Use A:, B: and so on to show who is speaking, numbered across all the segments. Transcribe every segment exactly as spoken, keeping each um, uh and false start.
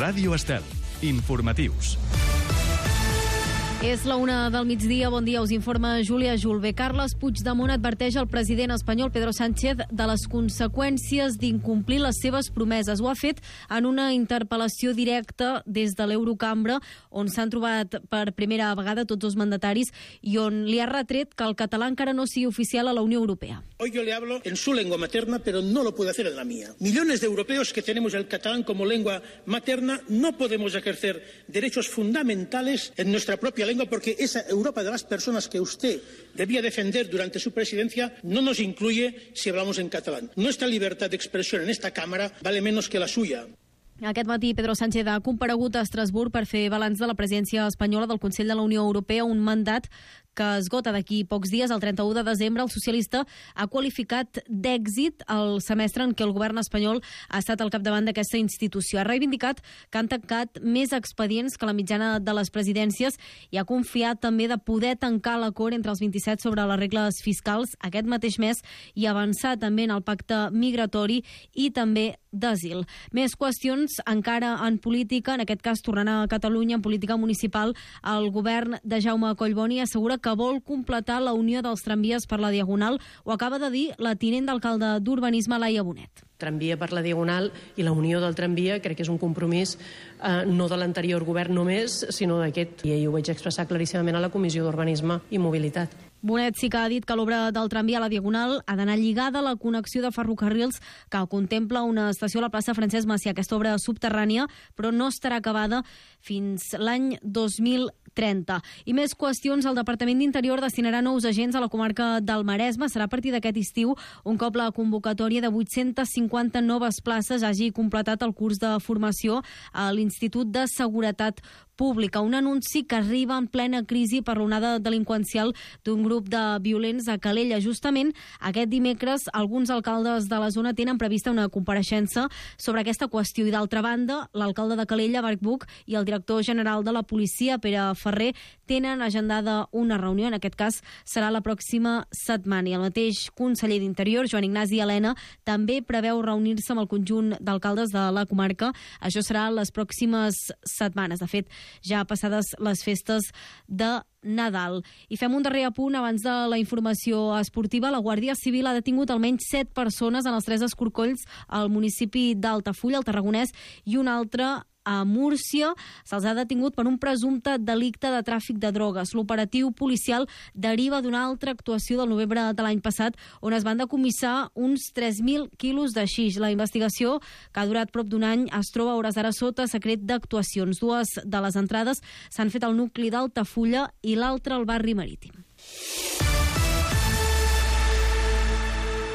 A: Ràdio Estel. Informatius.
B: És la una del migdia. Bon dia, us informa Júlia Julve. Carles Puigdemont adverteix al president espanyol Pedro Sánchez de les conseqüències d'incomplir les seves promeses. Ho ha fet en una interpel·lació directa des de l'Eurocambra, on s'han trobat per primera vegada tots els mandataris i on li ha retret que el català encara no sigui oficial a la Unió Europea.
C: Hoy yo le hablo en su lengua materna, pero no lo puedo hacer en la mía. Millones de europeos que tenemos el catalán como lengua materna no podemos ejercer derechos fundamentales en nuestra propia lengua porque esa Europa de las personas que usted debía defender durante su presidencia no nos incluye si hablamos en catalán. Nuestra libertad de expresión en esta Cámara vale menos que la suya.
B: Aquest matí Pedro Sánchez ha comparegut a Estrasburg per fer balanç de la presidència espanyola del Consell de la Unió Europea, un mandat que esgota d'aquí pocs dies. El trenta-u de desembre el socialista ha qualificat d'èxit el semestre en què el govern espanyol ha estat al capdavant d'aquesta institució. Ha reivindicat que han tancat més expedients que la mitjana de les presidències i ha confiat també de poder tancar l'acord entre els vint-i-set sobre les regles fiscals aquest mateix mes i avançar també en el pacte migratori i també d'asil. Més qüestions encara en política, en aquest cas tornant a Catalunya, en política municipal. El govern de Jaume Collboni assegura que vol completar la unió dels tramvies per la Diagonal. Ho acaba de dir la tinent d'alcalde d'Urbanisme, Laia Bonet.
D: Tramvia per la Diagonal i la unió del tramvia crec que és un compromís eh, no de l'anterior govern només, sinó d'aquest. I ho vaig expressar claríssimament a la Comissió d'Urbanisme i Mobilitat.
B: Bonet sí que ha dit que l'obra del tramvia a la Diagonal ha d'anar lligada a la connexió de ferrocarrils que contempla una estació a la plaça Francesc Macià. Aquesta obra subterrània, però no estarà acabada fins l'any dos mil trenta. I més qüestions. El Departament d'Interior destinarà nous agents a la comarca del Maresme. Serà a partir d'aquest estiu, un cop la convocatòria de vuit-centes cinquanta noves places hagi completat el curs de formació a l'Institut de Seguretat Pública. Un anunci que arriba en plena crisi per l'onada delinqüencial d'un grup de violents a Calella. Justament aquest dimecres alguns alcaldes de la zona tenen prevista una compareixença sobre aquesta qüestió i d'altra banda l'alcalde de Calella, Marc Buch, i el director general de la policia, Pere Ferrer, tenen agendada una reunió. En aquest cas serà la pròxima setmana i el mateix conseller d'Interior, Joan Ignasi Elena, també preveu reunir-se amb el conjunt d'alcaldes de la comarca. Això serà les pròximes setmanes. De fet, ja passades les festes de Nadal. I fem un darrer apunt abans de la informació esportiva. La Guàrdia Civil ha detingut almenys set persones en els tres escorcolls al municipi d'Altafulla, al Tarragonès, i un altre a Múrcia. Se'ls ha detingut per un presumpte delicte de tràfic de drogues. L'operatiu policial deriva d'una altra actuació del novembre de l'any passat on es van decomissar uns tres mil quilos de xix. La investigació, que ha durat prop d'un any, es troba a hores d'ara sota secret d'actuacions. Dues de les entrades s'han fet al nucli d'Altafulla i l'altra al barri Marítim.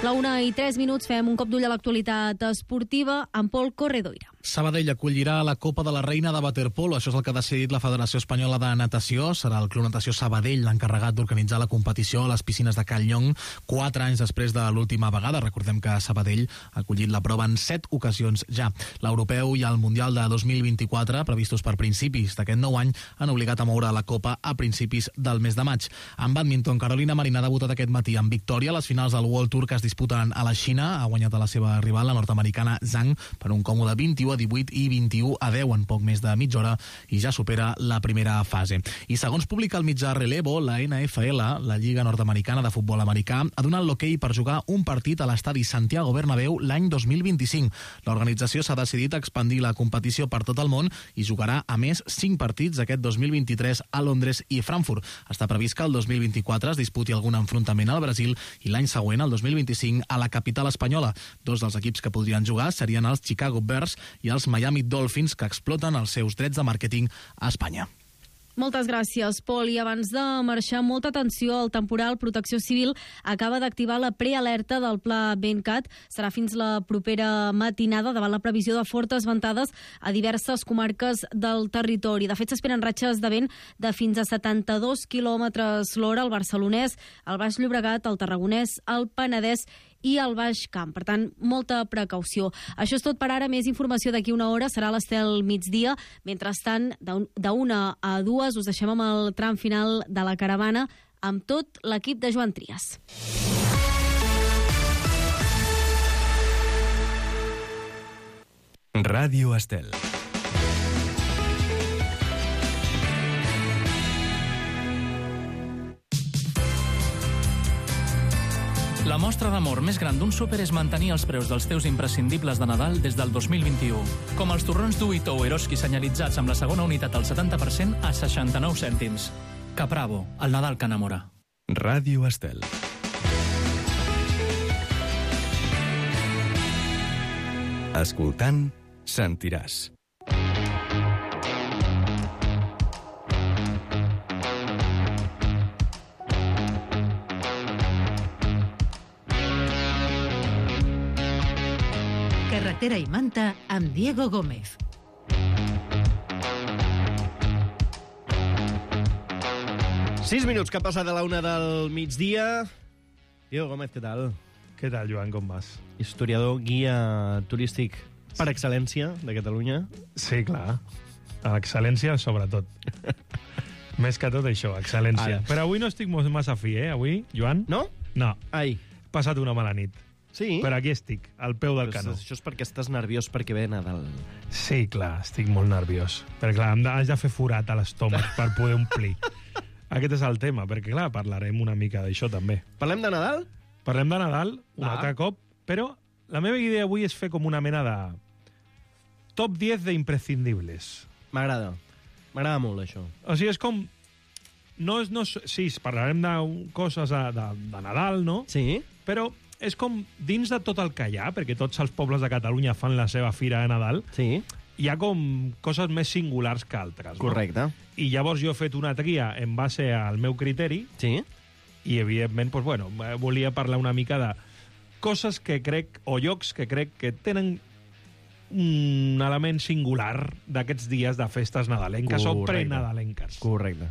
B: La una i tres minuts, fem un cop d'ull a l'actualitat esportiva amb Pol Corredoira.
E: Sabadell acollirà la Copa de la Reina de Waterpolo. Això és el que ha decidit la Federació Espanyola de Natació. Serà el Club Natació Sabadell l'encarregat d'organitzar la competició a les piscines de Cal Llong, quatre anys després de l'última vegada. Recordem que Sabadell ha acollit la prova en set ocasions ja. L'Europeu i el Mundial de dos mil vint-i-quatre, previstos per principis d'aquest nou any, han obligat a moure la Copa a principis del mes de maig. En bàdminton, Carolina Marín ha debutat aquest matí amb victòria a les finals del World Tour que es disputen a la Xina. Ha guanyat a la seva rival, la nord-americana Zhang, per un còmode vint-i-u a divuit i vint-i-u a deu en poc més de mitja hora i ja supera la primera fase. I segons publica el mitjà Relevo, la N F L, la Lliga Nord-Americana de Futbol Americà, ha donat l'hoquei per jugar un partit a l'estadi Santiago Bernabéu l'any dos mil vint-i-cinc. L'organització s'ha decidit a expandir la competició per tot el món i jugarà a més cinc partits aquest dos mil vint-i-tres a Londres i Frankfurt. Està previst que el dos mil vint-i-quatre es disputi algun enfrontament al Brasil i l'any següent, el dos mil vint-i-cinc, a la capital espanyola. Dos dels equips que podrien jugar serien els Chicago Bears i els Miami Dolphins, que exploten els seus drets de màrqueting a Espanya.
B: Moltes gràcies, Pol. I abans de marxar, molta atenció al temporal. Protecció Civil acaba d'activar la prealerta del pla Bencat. Serà fins la propera matinada davant la previsió de fortes ventades a diverses comarques del territori. De fet, s'esperen ratxes de vent de fins a setanta-dos quilòmetres l'hora al Barcelonès, al Baix Llobregat, al Tarragonès, al Penedès i al Baix Camp. Per tant, molta precaució. Això és tot per ara. Més informació d'aquí una hora. Serà a l'Estel migdia. Mentrestant, d'una a dues us deixem amb el tram final de la caravana amb tot l'equip de Joan Trias.
A: Ràdio Estel.
F: La mostra d'amor més gran d'un súper és mantenir els preus dels teus imprescindibles de Nadal des del dos mil vint-i-u. Com els torrons Duito o Eroski senyalitzats amb la segona unitat al setanta per cent a seixanta-nou cèntims. Capravo, el Nadal que enamora.
A: Ràdio Estel. Escoltant, sentiràs.
G: Carretera i Manta amb Diego Gómez.
H: Sis minuts que ha passat a la una del migdia. Diego Gómez, què tal?
I: Què tal, Joan, com vas?
H: Historiador, guia turístic per excel·lència de Catalunya.
I: Sí, clar. A l'excel·lència, sobretot. Més que tot això, excel·lència. Ara. Però avui no estic massa fi, eh? Avui, Joan?
H: No?
I: No.
H: Ai.
I: He passat una mala nit.
H: Sí?
I: Però aquí estic, al peu del
H: Però
I: canó.
H: Això és perquè estàs nerviós perquè ve Nadal.
I: Sí, clar, estic molt nerviós. Perquè, clar, haig de fer forat a l'estómac per poder omplir. Aquest és el tema, perquè, clar, parlarem una mica d'això, també.
H: Parlem de Nadal?
I: Parlem de Nadal, un
H: Va.
I: altre cop, però la meva idea avui és fer com una mena de top diez d'imprescindibles.
H: M'agrada. M'agrada molt, això.
I: O sigui, és com... No és, no és, sí, parlarem de coses de, de, de Nadal, no?
H: Sí.
I: Però és com dins de tot el que hi ha, perquè tots els pobles de Catalunya fan la seva fira de Nadal,
H: Sí.
I: hi ha com coses més singulars que altres. No?
H: Correcte.
I: I llavors jo he fet una tria en base al meu criteri
H: Sí.
I: i, evidentment, doncs, bueno, volia parlar una mica de coses que crec, o llocs que crec que tenen un element singular d'aquests dies de festes nadalenques o
H: Correcte.
I: prenadalenques.
H: Correcte.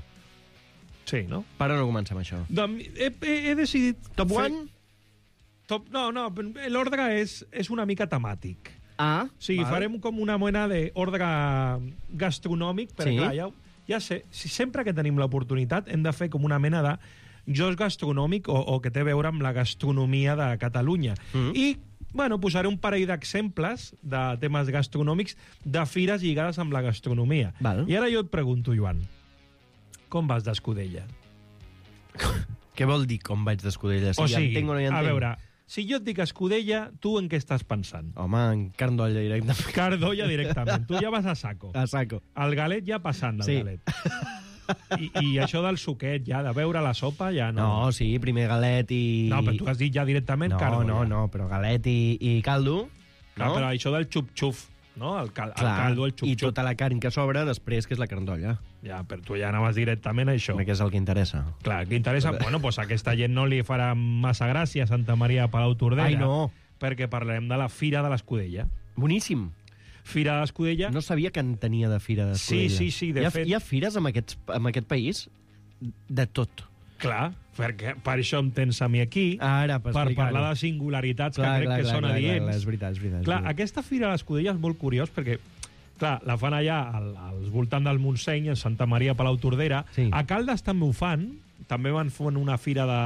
I: Sí, no?
H: Per on no comencem, això?
I: Doncs he, he, he decidit...
H: Top
I: fer-
H: one?
I: Top, no, no, l'ordre és, és una mica temàtic.
H: Ah,
I: O sigui,
H: val.
I: farem com una mena d'ordre gastronòmic, perquè
H: Sí.
I: clar, ja, ja sé, si sempre que tenim l'oportunitat hem de fer com una mena de joc gastronòmic o, o que té a veure amb la gastronomia de Catalunya.
H: Mm.
I: I, bueno, posaré un parell d'exemples de temes gastronòmics de fires lligades amb la gastronomia.
H: Val.
I: I ara jo et pregunto, Joan, com vas d'Escudella?
H: Què vol dir com vaig d'Escudella? Si
I: o
H: ja
I: sigui,
H: entenc o no ja
I: a
H: entenc?
I: veure, si jo et dic Escudella, tu en què estàs pensant?
H: Home, en carn d'olla directament.
I: Cardolla directament. Tu ja vas a saco.
H: A saco.
I: El galet ja passant del
H: Sí.
I: galet. I, I això del suquet, ja, de beure la sopa, ja no.
H: No, sí, primer galet i...
I: No, però tu has dit ja directament
H: No,
I: cardolla.
H: no, no, però galet i, i caldo...
I: Clar,
H: no?
I: però això del xup-xuf, no? El, cal, el
H: Clar,
I: caldo, el
H: i
I: xup-xup.
H: tota la carn que sobra després, que és la carn d'olla.
I: Ja, però tu ja anaves directament a això.
H: Que és el que interessa.
I: Clar, que interessa... Bueno, doncs aquesta gent no li farà massa gràcia a Santa Maria de Palau-Tordera.
H: Ai, no.
I: Perquè parlarem de la Fira de l'Escudella.
H: Boníssim.
I: Fira de l'Escudella...
H: No sabia que en tenia de fira d'Escudella.
I: Sí, sí, sí, de
H: hi ha,
I: fet-
H: Hi ha fires en, aquests, en aquest país de tot.
I: Clar, perquè per això em tens a mi aquí,
H: Ara, per,
I: per
H: explicar-ho.
I: parlar de singularitats
H: Clar,
I: que crec
H: clar,
I: que
H: clar,
I: són
H: clar,
I: adients.
H: clar, clar, és veritat, és veritat. és
I: Clar,
H: veritat.
I: aquesta Fira de l'Escudella és molt curiós perquè, clar, la fan allà al, als voltant del Montseny, en Santa Maria Palau-Tordera.
H: Sí.
I: A Caldes també ho fan. També van fer una fira de...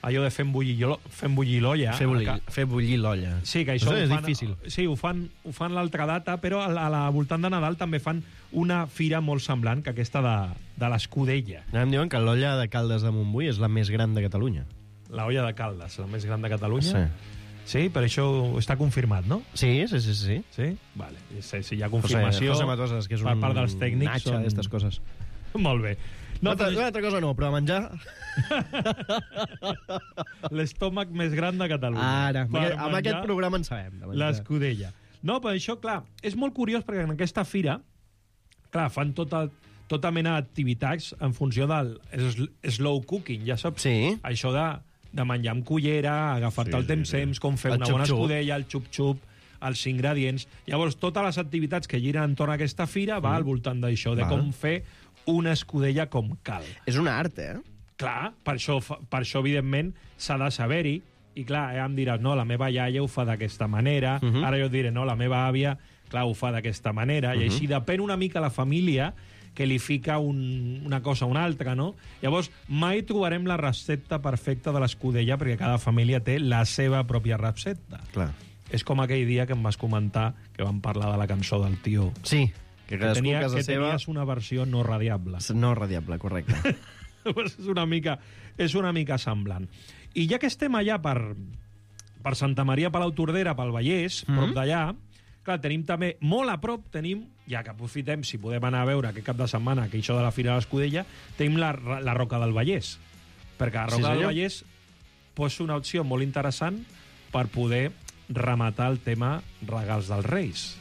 I: allò de fent bullir, lo- fent bullir l'olla.
H: Fer bullir,
I: A
H: fer bullir l'olla.
I: Sí, que això,
H: Això
I: ho
H: és
I: fan,
H: difícil.
I: Sí, ho fan, ho fan l'altra data, però a la, a la voltant de Nadal també fan una fira molt semblant que aquesta de, de l'Escudella.
H: Em diuen que l'olla de Caldes de Montbui és la més gran de Catalunya.
I: La olla de Caldes, la més gran de Catalunya.
H: Sí.
I: Sí, per això està confirmat, no?
H: Sí, sí, sí, sí.
I: Sí? Vale. Si, si hi ha confirmació
H: José, José Matosas, que és
I: per
H: un
I: part dels tècnics...
H: natxa
I: són-
H: d'estes coses.
I: Molt bé.
H: No,
I: No,
H: una, altra,
I: però
H: una altra cosa no, però a menjar...
I: l'estómac més gran de Catalunya.
H: Ara, amb,
I: Per
H: aquest, amb
I: menjar
H: aquest programa en sabem. de menjar.
I: l'escudella. No, però això, clar, és molt curiós perquè en aquesta fira, clar, fan tota, tota mena d'activitats en funció del sl- slow cooking, ja saps?
H: Sí.
I: Això de, de menjar amb cullera, agafar-te
H: Sí,
I: el
H: sí,
I: temps-temps,
H: sí.
I: com fer
H: El
I: una bona
H: xup-xup.
I: escudella, el xup-xup, els ingredients. Llavors, totes les activitats que giren entorn a aquesta fira va al voltant d'això, de
H: Val.
I: com fer una escudella com cal.
H: És un art, eh?
I: Clar, per això, fa- per això evidentment, s'ha de saber-hi. I clar, ja em diràs, no, la meva iaia ho fa d'aquesta manera,
H: Uh -huh.
I: ara jo et diré, no, la meva àvia, clar, ho fa d'aquesta manera, i així depèn una mica la família que li fica un, una cosa a una altra, no? Llavors, mai trobarem la recepta perfecta de l'escudella perquè cada família té la seva pròpia recepta.
H: Clar.
I: És com aquell dia que em vas comentar que vam parlar de la cançó del tio.
H: Sí, que
I: Que,
H: cadascú
I: tenia,
H: a casa
I: que
H: seva...
I: tenies una versió no radiable.
H: No radiable, correcte.
I: Pues és una mica és una mica semblant. I ja que estem allà per, per Santa Maria Palautordera, pel Vallès, mm -hmm. prop d'allà, clar, tenim també, molt a prop, tenim, ja que aprofitem, si podem anar a veure aquest cap de setmana, que això de la Fira de l'Escudella, tenim la, la Roca del Vallès. Perquè la Roca sí, del Vallès posa una opció molt interessant per poder rematar el tema regals dels Reis.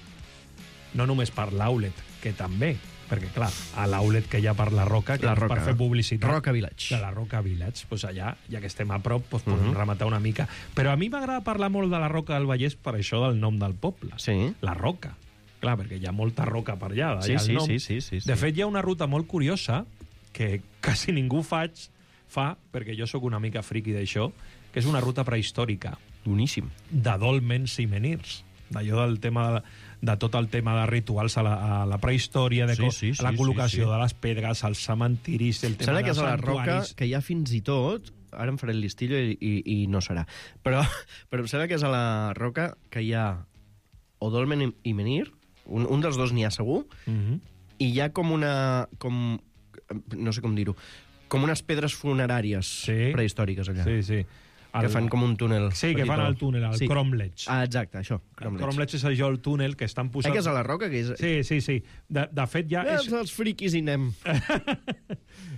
I: No només per l'outlet, que també, perquè, clar, a l'outlet que hi ha per la Roca, que
H: la Roca,
I: per fer publicitat...
H: Roca Village.
I: De la Roca Village. Doncs allà, ja que estem a prop, doncs podem uh -huh. rematar una mica. Però a mi m'agrada parlar molt de la Roca del Vallès per això del nom del poble.
H: Sí.
I: La Roca. Clar, perquè hi ha molta roca per allà.
H: Sí,
I: allà
H: sí,
I: el nom.
H: sí, sí, sí, sí.
I: De fet, hi ha una ruta molt curiosa que quasi ningú faig, fa, perquè jo sóc una mica friqui d'això, que és una ruta prehistòrica.
H: Boníssim.
I: De dòlmens i menirs. D'allò del tema... De, de tot el tema de rituals a la, a la prehistòria, de
H: sí, sí, sí,
I: la col·locació
H: sí, sí.
I: de les pedres, els cementiris, el tema
H: Sembla que
I: dels
H: és a la Roca,
I: santuaris...
H: que hi ha fins i tot... Ara em faré el listillo i, i, i no serà. Però, però em sembla que és a la Roca que hi ha o dolmen i, i menhir, un, un dels dos n'hi ha segur,
I: uh -huh.
H: i hi ha com una... Com, no sé com dir-ho, com unes pedres funeràries
I: sí.
H: prehistòriques allà.
I: Sí, sí.
H: El... Que fan com un túnel.
I: Sí, que fan el túnel, el sí. Cromlech.
H: Ah, exacte, això.
I: Cromlech. El Cromlech és allò, el túnel que estan posant...
H: Eh, que és a la Roca? Que és...
I: Sí, sí, sí. De, de fet, ja...
H: Ja
I: és...
H: els friquis hi anem.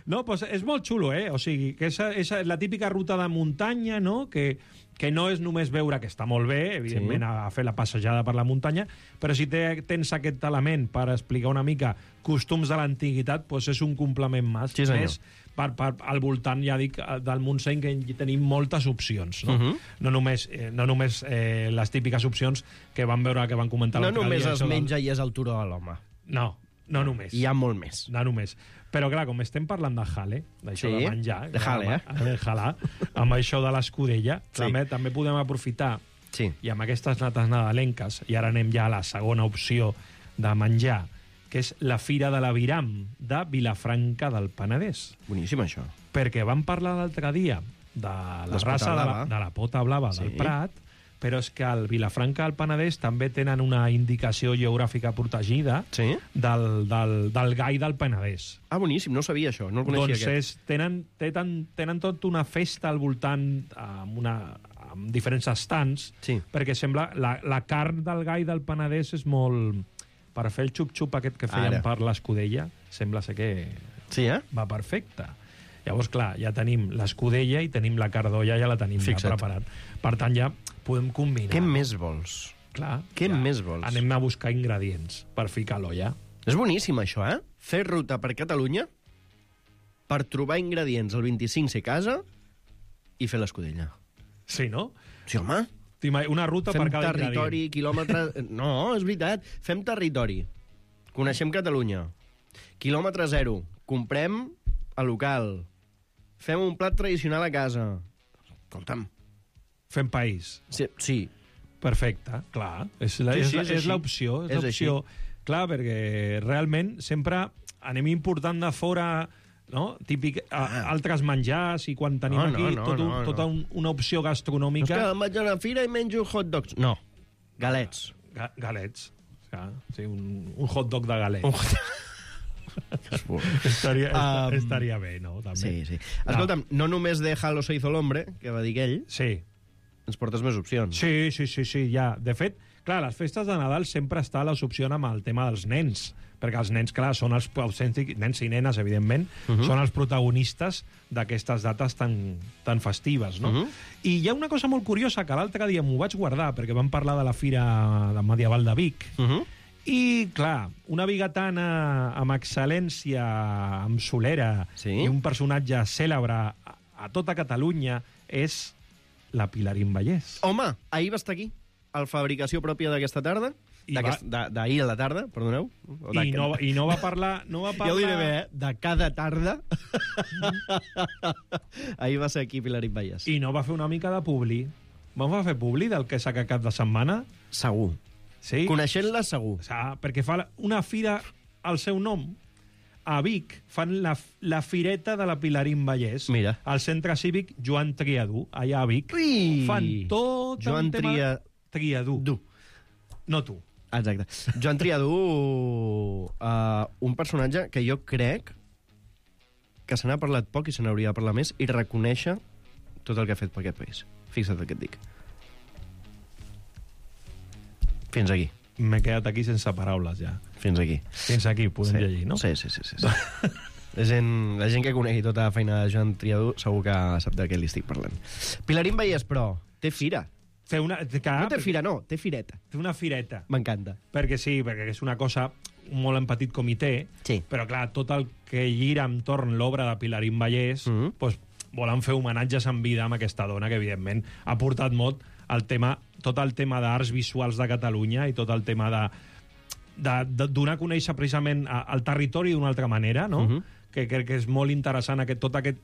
I: No, doncs és molt xulo, eh? O sigui, que és, és la típica ruta de muntanya, no?, que, que no és només veure, que està molt bé, evidentment, sí. a, a fer la passejada per la muntanya, però si te, tens aquest element per explicar una mica costums de l'antiguitat, doncs és un complement més.
H: Sí, senyor.
I: Més per, per, al voltant, ja dic, del Montseny, que hi tenim moltes opcions, no?
H: Uh -huh.
I: No només, eh, no només eh, les típiques opcions que van veure, que van comentar
H: No
I: l'altre dia.
H: només es menja
I: del...
H: i és el turó de l'home.
I: No, no només.
H: Hi ha molt més.
I: No només. Però, clar, com estem parlant de jale, d'això
H: sí,
I: de menjar...
H: de jale, eh?
I: De jala, amb això de l'escudella, sí. també, també podem aprofitar,
H: sí.
I: i amb aquestes nates nadalenques, i ara anem ja a la segona opció de menjar, que és la Fira de l'Aviram de Vilafranca del Penedès.
H: Boníssim, això.
I: Perquè vam parlar l'altre dia de la
H: Des
I: raça de la, de la pota blava sí. del Prat, però és que al Vilafranca del Penedès també tenen una indicació geogràfica protegida
H: sí?
I: del, del, del gai del Penedès.
H: Ah, boníssim, no sabia això, no el coneixia
I: doncs
H: aquest.
I: És, tenen, tenen, tenen tot una festa al voltant amb, una, amb diferents estants,
H: sí.
I: perquè sembla la, la carn del gai del Penedès és molt... Per fer el xup-xup aquest que feien Ara. per l'escudella, sembla ser que
H: sí, eh?
I: va perfecte. Llavors, clar, ja tenim l'escudella i tenim la cardolla, ja la tenim ja preparat. Per tant, ja podem combinar.
H: Què més vols?
I: Clar.
H: Què
I: ja
H: més vols?
I: Anem a buscar ingredients per ficar a l'olla.
H: És boníssim, això, eh? Fer ruta per Catalunya per trobar ingredients el vint-i-cinc ser casa i fer l'escudella.
I: Sí, no?
H: Sí, home.
I: Una ruta
H: fem
I: per cada
H: territori,
I: ingredient.
H: quilòmetre... No, és veritat. Fem territori. Coneixem Catalunya. Quilòmetre zero. Comprem a local. Fem un plat tradicional a casa. Escolta'm.
I: Fem país.
H: Sí. sí.
I: Perfecte, clar. És la,
H: sí, sí,
I: és, és l'opció. És, és l'opció. Clar, perquè realment sempre anem important de fora... No? Típic, a, altres menjars, i quan tenim
H: no, no,
I: aquí
H: no,
I: tot un,
H: no, no.
I: tota un, una opció gastronòmica...
H: No, és que em vaig a una fira i menjo hot dogs. No, galets.
I: Ga galets. Sí, un, un hot dog de galets.
H: Un
I: estaria,
H: um,
I: estaria bé, no? També.
H: Sí, sí. Escolta'm, no, no només de Halo se hizo l'hombre, que va dir ell,
I: sí.
H: ens portes més opcions.
I: Sí, sí, sí, sí, ja. De fet, clar, les festes de Nadal sempre està la opció amb el tema dels nens, perquè els nens, clar, són els autèntics, nens i nenes, evidentment, uh -huh. són els protagonistes d'aquestes dates tan, tan festives, no? Uh -huh. I hi ha una cosa molt curiosa, que l'altre dia m'ho vaig guardar, perquè vam parlar de la Fira Medieval de Vic, uh -huh. i, clar, una bigatana amb excel·lència, amb solera, sí? i un personatge cèlebre a, a tota Catalunya és la Pilarín Vallès.
H: Home, ahir va estar aquí, a la fabricació pròpia d'aquesta tarda, d'ahir a la tarda, perdoneu.
I: I no, I no va parlar... No va parlar...
H: Ja ho diré bé, eh? De cada tarda. Ahir va ser aquí Pilarín Vallès.
I: I no va fer una mica de publi. Va fer publi del que s'ha cap de setmana?
H: Segur.
I: Sí?
H: Coneixent-la, segur.
I: O sigui, perquè fa una fira al seu nom. A Vic fan la, la fireta de la Pilarín Vallès.
H: Mira.
I: Al centre cívic Joan Triadú, allà a Vic.
H: Ui!
I: Fan tot
H: Joan
I: un tema...
H: Tria...
I: Triadú.
H: Du.
I: No tu.
H: Exacte. Joan Triadú, uh, un personatge que jo crec que se n'ha parlat poc i se n'hauria de parlar més, i reconèixer tot el que ha fet per aquest país. Fixa't el que et dic. Fins aquí.
I: M'he quedat aquí sense paraules, ja.
H: Fins aquí.
I: Fins aquí, podem
H: sí.
I: llegir, no?
H: Sí, sí, sí. sí, sí. la, gent, la gent que conegui tota la feina de Joan Triadú segur que sap de què li estic parlant. Pilarín Vallès, però, té fira.
I: Fer una, que,
H: no té fira, no, té fireta.
I: Té una fireta.
H: M'encanta.
I: Perquè sí, perquè és una cosa molt en petit comitè,
H: sí.
I: però clar, tot el que gira entorn l'obra de Pilarín Vallès, mm -hmm. doncs, volen fer homenatges en vida amb aquesta dona que, evidentment, ha portat molt el tema, tot el tema d'arts visuals de Catalunya i tot el tema de, de, de donar a conèixer precisament el territori d'una altra manera, no? Uh-huh. que crec que és molt interessant aquest, tot aquest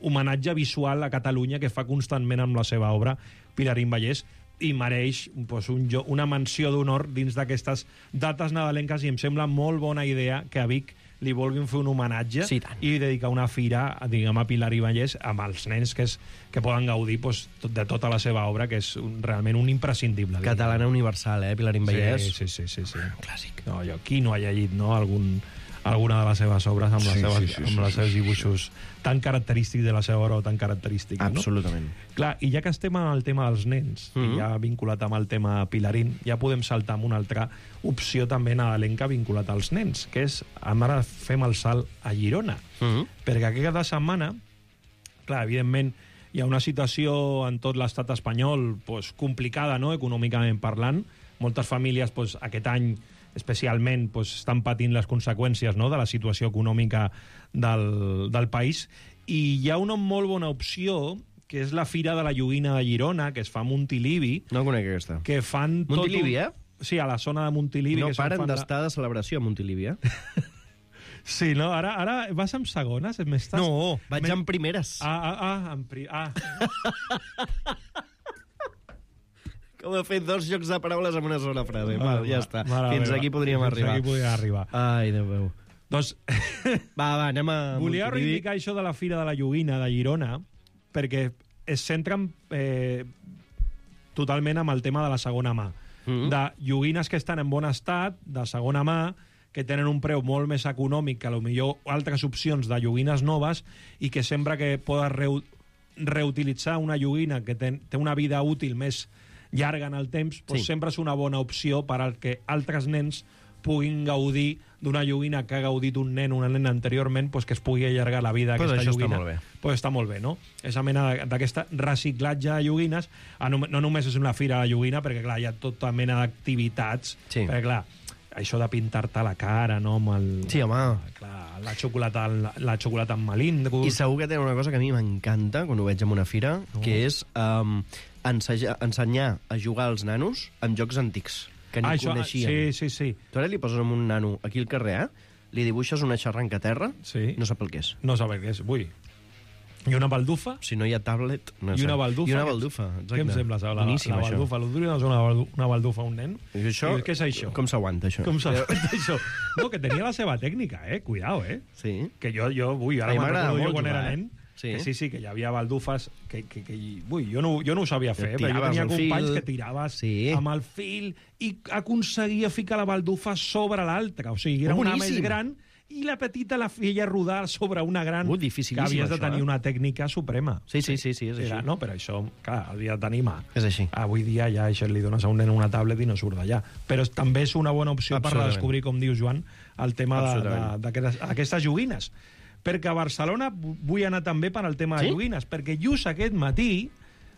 I: homenatge visual a Catalunya que fa constantment amb la seva obra Pilarín Vallès, i mereix pues, un, una menció d'honor dins d'aquestes dates nadalenques, i em sembla molt bona idea que a Vic li vulguin fer un homenatge
H: sí,
I: i dedicar una fira, diguem, a Pilarín Vallès amb els nens que, és, que poden gaudir pues, de tota la seva obra, que és un, realment un imprescindible.
H: Catalana diguem. Universal, eh, Pilarín Vallès?
I: Sí, sí, sí. sí, sí.
H: Clàssic.
I: No, jo, qui no ha llegit no, algun, alguna de les seves obres amb, sí, les seves, sí, sí, amb sí, els seus dibuixos sí, sí. tan característics de la seva obra o tan característics, no?
H: Absolutament.
I: Clar, i ja que estem en el tema dels nens, mm -hmm. i ja vinculat amb el tema Pilarín, ja podem saltar amb una altra opció també nadalenca vinculat als nens, que és, ara fem el salt a Girona. Mm -hmm. Perquè aquesta setmana, clar, evidentment, hi ha una situació en tot l'estat espanyol pues, complicada, no?, econòmicament parlant. Moltes famílies pues, aquest any especialment pues, estan patint les conseqüències, no?, de la situació econòmica del, del país. I hi ha una molt bona opció, que és la Fira de la Joguina de Girona, que es fa a Montilivi.
H: No conec aquesta.
I: Que fan
H: Montilivi,
I: tot un...
H: eh?
I: Sí, a la zona de Montilivi.
H: No
I: que
H: paren
I: fan
H: d'estar la... de celebració a Montilivi, eh?
I: Sí, no? Ara, ara vas amb segones? M'estàs...
H: No, vaig amb primeres.
I: Ah, ah, ah, amb pri... ah.
H: Com he fet dos jocs de paraules en una sola frase. Val, ja està.
I: Mare
H: Fins
I: meva.
H: aquí podríem
I: Fins
H: arribar.
I: Fins aquí podríem arribar.
H: Ai, Déu meu.
I: Doncs...
H: va, va, anem a
I: Volia
H: Montilivi.
I: reivindicar això de la Fira de la Joguina de Girona, perquè es centren eh, totalment amb el tema de la segona mà. Mm-hmm. De joguines que estan en bon estat, de segona mà, que tenen un preu molt més econòmic que potser altres opcions de joguines noves, i que sempre que podes reu reutilitzar una joguina que ten, té una vida útil més llarga en el temps, doncs
H: Sí.
I: sempre és una bona opció per al que altres nens puguin gaudir d'una joguina que ha gaudit un nen o una nena anteriorment, doncs que es pugui allargar la vida
H: Pues
I: d'aquesta
H: això està
I: joguina.
H: molt bé.
I: Pues està molt bé, no? Aquesta mena d'aquest reciclatge de joguines, no només és una fira de joguina, perquè clar, hi ha tota mena d'activitats,
H: Sí.
I: perquè clar, això de pintar-te la cara, no? Amb el,
H: Sí, home.
I: clar, la xocolata, la, la xocolata amb melindros.
H: I segur que tenen una cosa que a mi m'encanta quan ho veig en una fira, no. que és um, ensenyar, ensenyar a jugar als nanos amb jocs antics, que ni
I: ah, això,
H: coneixien.
I: Sí, sí, sí.
H: Tu ara li poses amb un nano aquí al carrer, eh? li dibuixes una xarranca a terra,
I: sí.
H: no sap el que és.
I: No sap el que és, ui. I una baldufa?
H: Si no hi ha tablet... No
I: I una baldufa?
H: I una baldufa, exacte.
I: Què em sembla, la,
H: Boníssim,
I: la baldufa? L'ho duria una, una baldufa a un nen?
H: I això,
I: I què és això?
H: Com s'aguanta, això?
I: Com s'aguanta, això? No, que tenia la seva tècnica, eh? Cuidao, eh?
H: Sí.
I: Que jo, jo ui, ara
H: A mi
I: me'n
H: m'agrada
I: recordo jo
H: molt
I: quan
H: jugar,
I: era
H: eh?
I: nen,
H: Sí.
I: que sí, sí, que hi havia baldufes que, que, que ui, jo, no, jo no ho sabia fer,
H: Que
I: però jo
H: tiraves
I: tenia
H: el
I: companys
H: fil.
I: que tiraves
H: Sí.
I: amb el fil i aconseguia ficar la baldufa sobre l'altra. O sigui, era
H: Oh,
I: una
H: boníssim.
I: més gran i la petita la feia rodar sobre una gran,
H: Uh,
I: que
H: dificilíssim,
I: havies de
H: això,
I: tenir
H: eh?
I: una tècnica suprema.
H: Sí, sí, sí, sí, és
I: Era,
H: així.
I: no? Però això, clar, havia de tenir mà.
H: És així.
I: Avui dia ja això li dones a un nen una tablet i no surt d'allà. Però és- també és una bona opció per
H: Absolutament.
I: redescobrir, com dius, Joan, el tema de-
H: Absolutament.
I: de- d'aquestes aquestes joguines. Perquè a Barcelona vu- vull anar també per al tema de
H: Sí?
I: joguines, perquè just aquest matí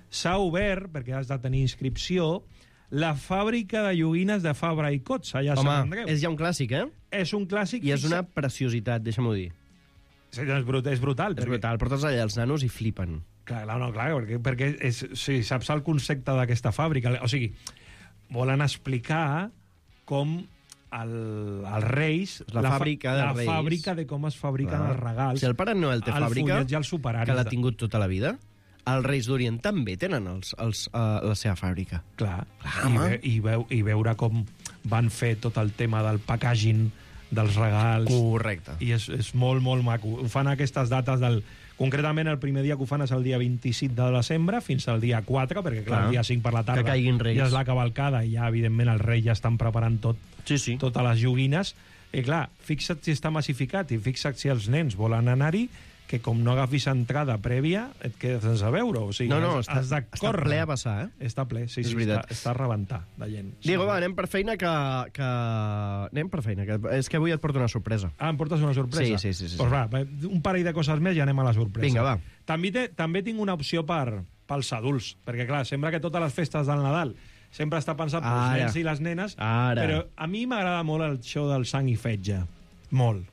I: s'ha obert, perquè has de tenir inscripció, la fàbrica de joguines de Fabra i Cots, allà a Sant
H: Home,
I: Andreu.
H: és ja un clàssic, eh?
I: És un clàssic.
H: I és una
I: fixa-
H: preciositat, deixa'm-ho dir.
I: Sí, és, brut, és brutal.
H: És brutal, portes allà els nanos i flipen.
I: Clar, clar, no, clar, perquè, perquè és, sí, saps el concepte d'aquesta fàbrica. O sigui, volen explicar com el, els reis...
H: La fàbrica de
I: la
H: reis.
I: La fàbrica de com es fabriquen
H: Clar.
I: els regals.
H: Si el Pare Noel té
I: el
H: fàbrica,
I: fullet i els superaris
H: que l'ha
I: de-
H: tingut tota la vida, els Reis d'Orient també tenen els, els, uh, la seva fàbrica.
I: Clar,
H: Clar,
I: I,
H: home.
I: ve, i, veu, i veure com van fer tot el tema del packaging dels regals.
H: Correcte.
I: I és, és molt, molt maco. Ho fan aquestes dates del... Concretament, el primer dia que ho fan és el dia vint-i-cinc de desembre fins al dia quatre, perquè, clar,
H: Clar.
I: el dia cinc per la tarda
H: Que caiguin Reis.
I: ja és la cavalcada i ja, evidentment, els Reis ja estan preparant tot,
H: Sí, sí.
I: totes les joguines. I, clar, fixa't si està massificat i fixa't si els nens volen anar-hi, que com no agafis entrada prèvia, et quedes sense veure. O sigui,
H: No, no,
I: has,
H: està,
I: has de
H: està
I: córrer.
H: ple a passar, eh?
I: Està ple, sí,
H: És
I: sí,
H: veritat.
I: està, està a rebentar de gent.
H: Diego,
I: sí.
H: va, anem per feina, que, que... Anem per feina, que és que avui et porto una sorpresa.
I: Ah, em portes una sorpresa?
H: Sí, sí, sí. sí,
I: Pues
H: sí.
I: va, va, un parell de coses més i anem a la sorpresa.
H: Vinga, va.
I: També, té, també tinc una opció per, pels adults, perquè, clar, sembla que totes les festes del Nadal sempre està pensat pels
H: Ara.
I: nens i les nenes,
H: Ara.
I: però a mi m'agrada molt el show del sang i fetge. Molt.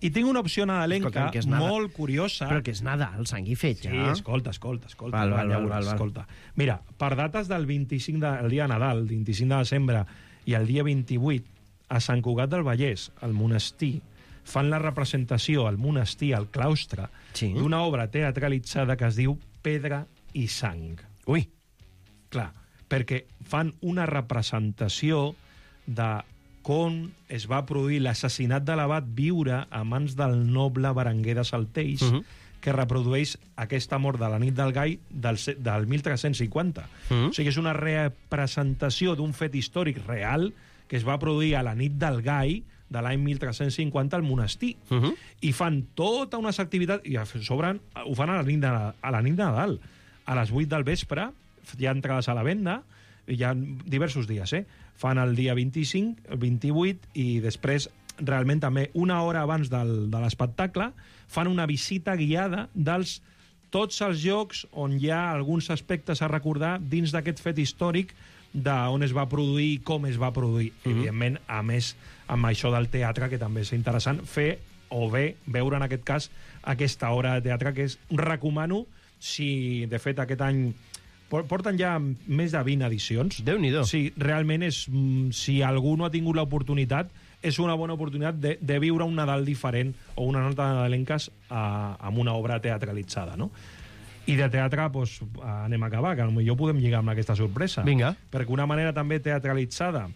I: I tinc una opció nadalenca
H: Escolta'm, que és nada-
I: molt curiosa.
H: Però que és Nadal, sang i fetge.
I: Sí, escolta, escolta, escolta.
H: Val, val,
I: ja
H: val,
I: veuràs,
H: val, val.
I: escolta. Mira, per dates del vint-i-cinc de, el dia de Nadal, vint-i-cinc de desembre, i el dia vint-i-vuit, a Sant Cugat del Vallès, al monestir, fan la representació al monestir, al claustre,
H: Sí.
I: d'una obra teatralitzada que es diu Pedra i Sang.
H: Ui.
I: Clar, perquè fan una representació de com es va produir l'assassinat de l'abat Viure a mans del noble Berenguer de Saltells,
H: Mhm.
I: que reprodueix aquesta mort de la nit del Gai del, se- del mil tres-cents cinquanta.
H: Mhm.
I: O sigui, és una representació d'un fet històric real que es va produir a la nit del Gai de l'any mil tres-cents cinquanta al monestir.
H: Mhm.
I: I fan tota unes activitats, i a sobre ho fan a la nit de, a la nit de Nadal. A les vuit del vespre hi ha entrades a la venda, hi ha diversos dies, eh? Fan el dia vint-i-cinc, el vint-i-vuit, i després, realment també, una hora abans del, de l'espectacle, fan una visita guiada dels tots els llocs on hi ha alguns aspectes a recordar dins d'aquest fet històric d'on es va produir i com es va produir. Mm-hmm. Evidentment, a més, amb això del teatre, que també és interessant, fer o bé veure, en aquest cas, aquesta obra de teatre, que és, recomano, si de fet aquest any porten ja més de vint edicions.
H: Déu-n'hi-do.
I: Sí, realment és, mm, si algú no ha tingut l'oportunitat, és una bona oportunitat de, de viure un Nadal diferent o una nota nadalenques a, amb una obra teatralitzada, no? I de teatre, doncs, anem a acabar, que potser podem lligar amb aquesta sorpresa.
H: Vinga.
I: Perquè una manera també teatralitzada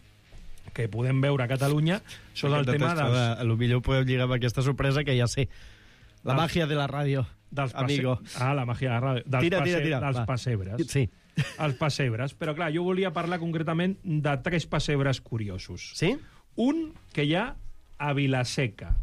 I: que podem veure a Catalunya són el tema dels...
H: A lo millor podeu lligar amb aquesta sorpresa, que ja sé. La
I: Dels-
H: màgia de la ràdio,
I: dels passe-
H: amigo.
I: Ah, la màgia de la ràdio. Dels,
H: Tira, tira,
I: passe-
H: tira,
I: dels
H: va.
I: pessebres.
H: Sí.
I: Els pessebres. Però, clar, jo volia parlar concretament de tres pessebres curiosos.
H: Sí?
I: Un que hi ha a Vilaseca.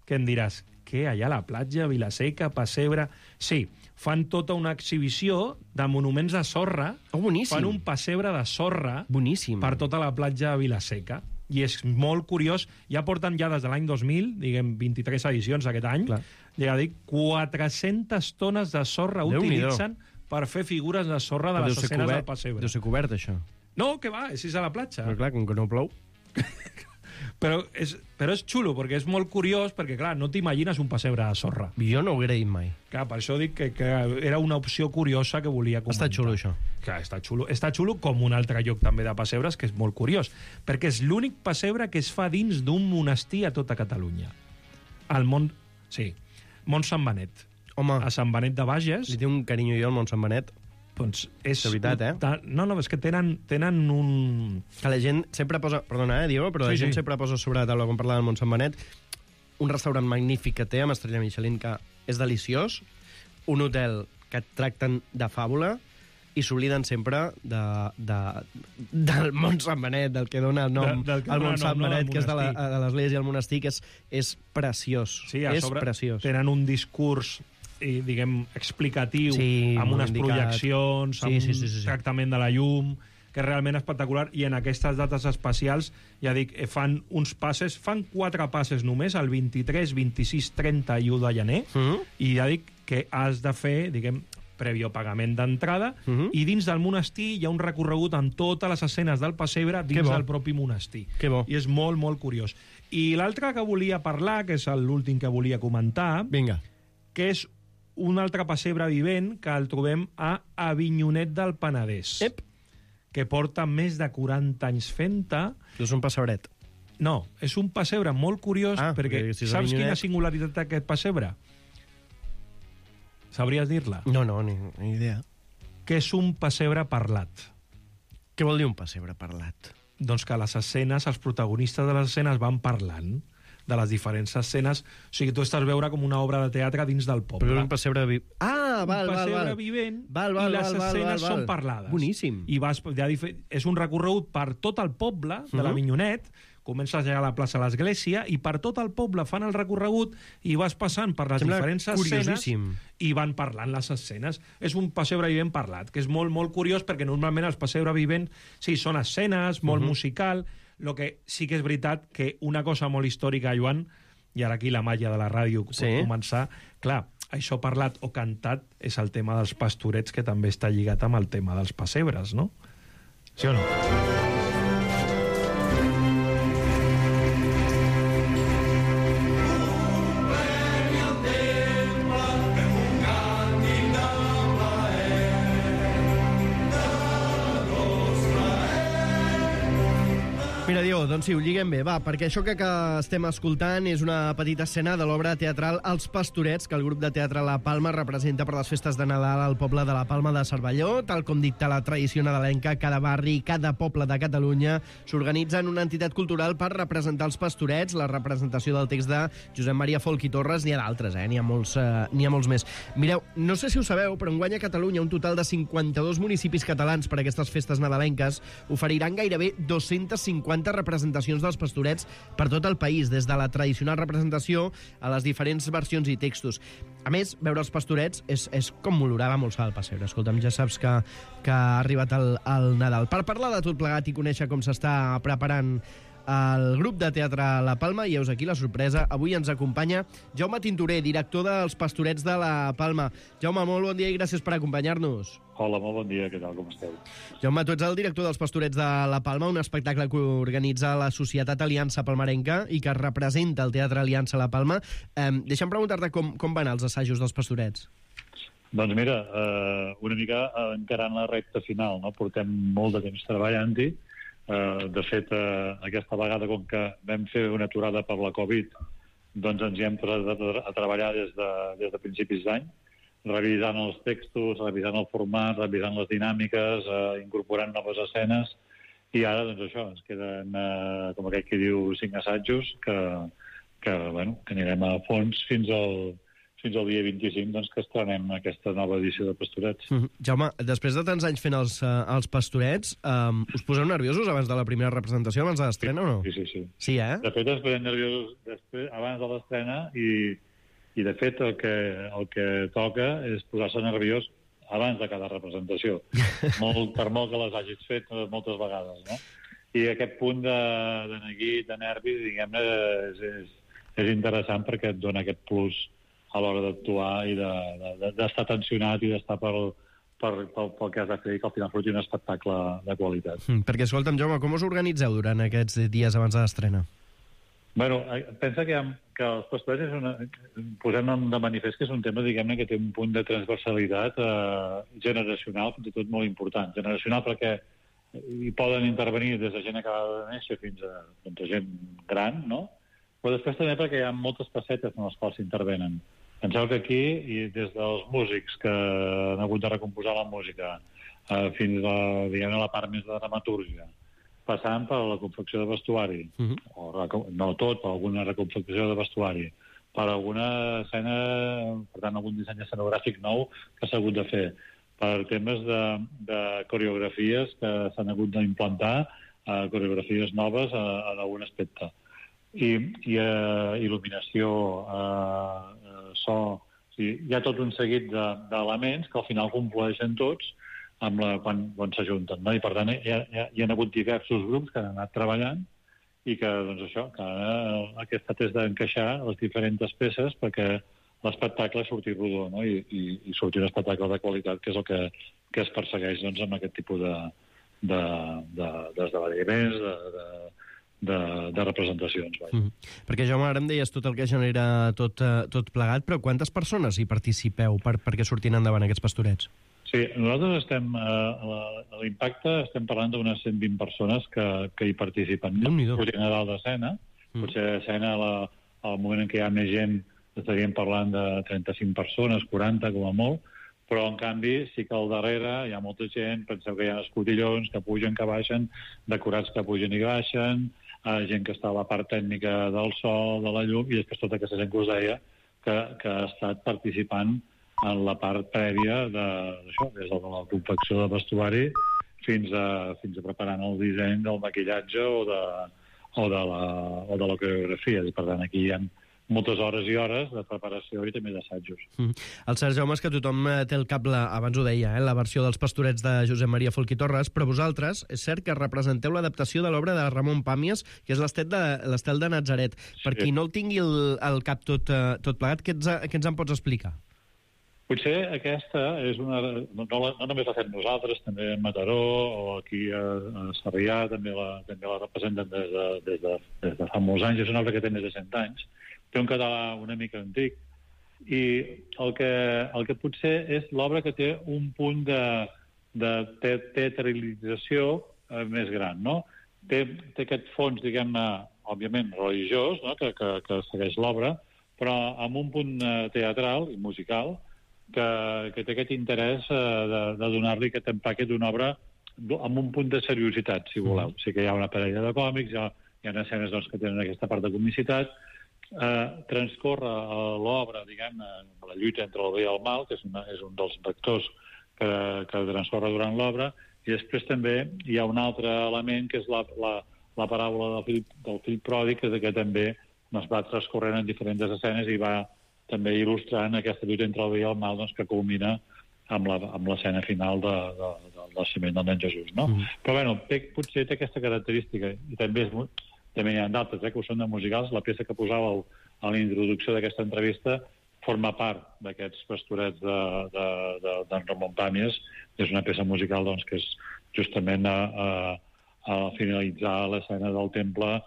I: Que em diràs, què, allà a la platja, Vilaseca, pessebre... Sí, fan tota una exhibició de monuments de sorra.
H: Oh, boníssim.
I: Fan un pessebre de sorra
H: Boníssim.
I: per tota la platja de Vilaseca. I és molt curiós. Ja porten ja des de l'any dos mil, diguem, vint-i-tres edicions aquest any,
H: Clar.
I: ja dic, quatre-centes tones de sorra
H: Déu-n'hi-do.
I: utilitzen per fer figures de sorra de
H: Però
I: les
H: deu ser
I: escenes del
H: cobert,
I: pessebre.
H: deu ser cobert, això.
I: No, que va, és a la platja.
H: Però clar, com que no plou...
I: Però és, però és xulo, perquè és molt curiós, perquè, clar, no t'imagines un pessebre de sorra.
H: Jo no ho haguera dit mai.
I: Clar, per això dic que, que era una opció curiosa que volia comentar.
H: Està xulo, això.
I: Clar, està xulo. Està xulo com un altre lloc també de pessebres, que és molt curiós, perquè és l'únic pessebre que es fa dins d'un monestir a tota Catalunya. Al món... Sí, Mont Sant Benet.
H: Home,
I: A Sant Benet de Bages...
H: li té un carinyo jo al Mont Sant Benet.
I: Doncs és...
H: De veritat, eh?
I: Ta- No, no, és que tenen, tenen un...
H: Que la gent sempre posa... Perdona, eh, Diego, però la
I: Sí,
H: gent
I: sí.
H: sempre posa sobre la taula, quan parla del Mont Sant Benet, un restaurant magnífic que té, amb estrella Michelin, que és deliciós, un hotel que et tracten de fàbula, i s'obliden sempre de, de, del Mont Sant Benet, del que dona el nom
I: De- del que
H: al
I: dona
H: Mont
I: nom,
H: Sant
I: no, del
H: Benet, que és de la-
I: monestir.
H: de l'església al monestir, que és, és preciós.
I: Sí, a
H: és
I: sobre
H: preciós.
I: tenen un discurs i, diguem, explicatiu,
H: Sí,
I: amb
H: molt
I: unes
H: indicat.
I: projeccions,
H: Sí,
I: amb
H: sí, sí, sí, sí.
I: un tractament de la llum, que és realment espectacular, i en aquestes dates especials, ja dic, eh, fan uns passes, fan quatre passes només, el vint-i-tres, vint-i-sis, trenta i u de gener,
H: Mhm.
I: i ja dic que has de fer, diguem, prèvio pagament d'entrada,
H: Mhm.
I: i dins del monestir hi ha un recorregut amb totes les escenes del pessebre
H: Que
I: dins
H: bo.
I: del propi monestir.
H: Que bo.
I: I és molt, molt curiós. I l'altre que volia parlar, que és l'últim que volia comentar,
H: Vinga.
I: que és un altre pessebre vivent que el trobem a Avinyonet del Penedès,
H: Ep.
I: que porta més de quaranta anys fent-te.
H: És un passebret.
I: No, és un pessebre molt curiós,
H: Ah,
I: perquè
H: perquè si és
I: saps
H: Avinyonet-
I: quina singularitat té aquest pessebre? Sabries dir-la?
H: No, no, ni, ni idea.
I: Que és un pessebre parlat.
H: Què vol dir un pessebre parlat?
I: Doncs que les escenes, els protagonistes de les escenes van parlant de les diferents escenes. O sigui, tu estàs veure com una obra de teatre dins del poble.
H: Però és un pessebre... Vi... Ah, val,
I: un
H: val,
I: pessebre
H: val.
I: vivent
H: Val, val,
I: i les
H: val, val,
I: escenes
H: val, val.
I: són parlades.
H: Boníssim.
I: I vas, ja, dife- és un recorregut per tot el poble de
H: Mhm.
I: l'Avinyonet, comences allà a la plaça de l'Església i per tot el poble fan el recorregut i vas passant per les
H: Sembla
I: diferents escenes
H: curiosíssim.
I: i van parlant les escenes. És un pessebre vivent parlat, que és molt, molt curiós perquè normalment els pessebre vivents sí, són escenes, molt uh -huh. musical, lo que sí que és veritat que una cosa molt històrica, Joan, i ara aquí la màgia de la ràdio pot
H: Sí.
I: començar, clar, això parlat o cantat és el tema dels pastorets, que també està lligat amb el tema dels pessebres, no? Sí o no?
H: Mira, Diego, doncs sí, ho lliguem bé, va, perquè això que, que estem escoltant és una petita escena de l'obra teatral Els Pastorets, que el grup de teatre La Palma representa per les festes de Nadal al poble de la Palma de Cervelló. Tal com dicta la tradició nadalenca, cada barri, cada poble de Catalunya s'organitza en una entitat cultural per representar els pastorets. La representació del text de Josep Maria Folch i Torres, n'hi ha d'altres, eh? N'hi ha molts, eh, n'hi ha molts més. Mireu, no sé si ho sabeu, però enguany a Catalunya un total de cinquanta-dos municipis catalans per a aquestes festes nadalenques oferiran gairebé dos-centes cinquanta representacions dels pastorets per tot el país, des de la tradicional representació a les diferents versions i textos. A més, veure els pastorets és, és com olorava molt sal al pessebre. Escolta'm, ja saps que, que ha arribat el, el Nadal. Per parlar de tot plegat i conèixer com s'està preparant el grup de teatre La Palma, i heus aquí la sorpresa. Avui ens acompanya Jaume Tintorer, director dels Pastorets de La Palma. Jaume, molt bon dia i gràcies per acompanyar-nos.
J: Hola, molt bon dia, què tal, com esteu?
H: Jaume, tu ets el director dels Pastorets de La Palma, un espectacle que organitza la Societat Aliança Palmarenca i que representa el Teatre Aliança La Palma. Eh, deixa'm preguntar-te com, com van els assajos dels Pastorets.
J: Doncs mira, eh, una mica encarant la recta final, no? Portem molt de temps treballant-hi. Uh, de fet, uh, aquesta vegada, com que vam fer una aturada per la Covid, doncs ens hi hem posat a, a treballar des de, des de principis d'any, revisant els textos, revisant el format, revisant les dinàmiques, uh, incorporant noves escenes, i ara, doncs això, ens queden, uh, com aquell que diu, cinc assajos, que, que, bueno, que anirem a fons fins al, fins al dia vint-i-cinc, doncs, que estrenem aquesta nova edició de Pastorets.
H: Mm -hmm. Jaume, després de tants anys fent els, uh, els Pastorets, um, us poseu nerviosos abans de la primera representació, abans de l'estrena, o no?
J: Sí, sí, sí.
H: Sí, eh?
J: De fet, es posem nerviosos després, abans de l'estrena, i, i de fet el que, el que toca és posar-se nerviós abans de cada representació, molt, per molt que les hagis fet moltes vegades, no? I aquest punt de, de neguit, de nervis, diguem-ne, és, és, és interessant perquè et dona aquest plus a l'hora d'actuar i d'estar de, de, tensionat i d'estar pel, per, pel, pel que has de fer i que al final surti un espectacle de qualitat.
H: Mm, perquè, escolta'm, Jaume, com us organitzeu durant aquests dies abans de l'estrena?
J: Bueno, pensa que, ha, que els pastorets és una, posem de manifest que és un tema, diguem-ne, que té un punt de transversalitat eh, generacional, fins i tot molt important. Generacional perquè hi poden intervenir des de gent acabada de néixer fins a, doncs, a gent gran, no? Però després també perquè hi ha moltes facetes en les quals s'intervenen. Penseu que aquí, i des dels músics que han hagut de recomposar la música eh, fins a, diguem-ne, la part més de dramatúrgia, passant per la confecció de vestuari, uh-huh. o, no tot, per alguna reconfecció de vestuari, per alguna escena, per tant, algun disseny escenogràfic nou que s'ha hagut de fer, per temes de, de coreografies que s'han hagut d'implantar, eh, coreografies noves eh, en algun aspecte. I, i uh, il·luminació, uh, uh, so... O sigui, hi ha tot un seguit d'elements de, que al final conflueixen tots amb la, quan, quan s'ajunten, no? I per tant hi ha, hi, ha, hi ha hagut diversos grups que han anat treballant i que, doncs això, que ara aquest és d'encaixar les diferents peces perquè l'espectacle surti rodó, no? I, i, i surti un espectacle de qualitat, que és el que, que es persegueix, doncs, amb aquest tipus de, de, de, d'esdeveniments, de, de, de, de representacions.
H: Mm -hmm. Perquè, Jaume, ara em deies tot el que genera tot, uh, tot plegat, però quantes persones hi participeu per, perquè surtin endavant aquests pastorets?
J: Sí, nosaltres estem, eh, a l'impacte estem parlant d'unes cent vint persones que, que hi participen. Sortint a dalt d'escena, mm. potser a escena la, al moment en què hi ha més gent estaríem parlant de trenta-cinc persones, quaranta com a molt, però en canvi sí que al darrere hi ha molta gent, penseu que hi ha escotillons que pugen, que baixen, decorats que pugen i baixen, eh, gent que està a la part tècnica del so, de la llum, i després tota aquesta gent que us deia que, que ha estat participant en la part prèvia d'això, des de la confecció de vestuari fins a, fins a preparant el disseny del maquillatge o de, o de la, o de la coreografia. I, per tant, aquí hi ha moltes hores i hores de preparació i també d'assajos.
H: Mm. El Cert Jaume és que tothom té el cap, la, abans ho deia, eh, la versió dels Pastorets de Josep Maria Folch i Torres, però vosaltres, és cert que representeu l'adaptació de l'obra de Ramon Pàmies, que és l'Estel de, l'Estel de Natzaret. Sí. Per qui no el tingui el, el cap tot, tot plegat, què ens, què ens en pots explicar?
J: Potser aquesta és una... No, no, no només la fem nosaltres, també a Mataró o aquí a, a Sarrià també la, també la representen des de, des, de, des de fa molts anys. És una obra que té més de cent anys. Té un català una mica antic. I el que, el que potser és l'obra que té un punt de, de te teatralització eh, més gran, no? Té, té aquest fons, diguem-ne, òbviament religiós, no? que, que, que segueix l'obra, però amb un punt eh, teatral i musical que, que té aquest interès eh, de, de donar-li aquest empaque d'una obra amb un punt de seriositat, si voleu. O sigui que hi ha una parella de còmics, hi ha, hi ha escenes doncs, que tenen aquesta part de comicitat, eh, transcorre l'obra, diguem, la lluita entre el bé i el mal, que és, una, és un dels vectors que, que transcorre durant l'obra, i després també hi ha un altre element, que és la, la, la paràbola del fill, del fill pròdig, que, que també es va transcorrent en diferents escenes i va també il·lustrant aquesta lluita entre el bé i el mal, doncs, que culmina amb l'escena final de, de, del naixement del nen Jesús, no? Mm. Però, bueno, té, potser té aquesta característica, i també, és, també hi ha d'altres, eh, que ho són de musicals. La peça que posàveu a la introducció d'aquesta entrevista forma part d'aquests pastorets d'en de, de, de, Ramon Pàmies. És una peça musical, doncs, que és justament a, a, a finalitzar l'escena del temple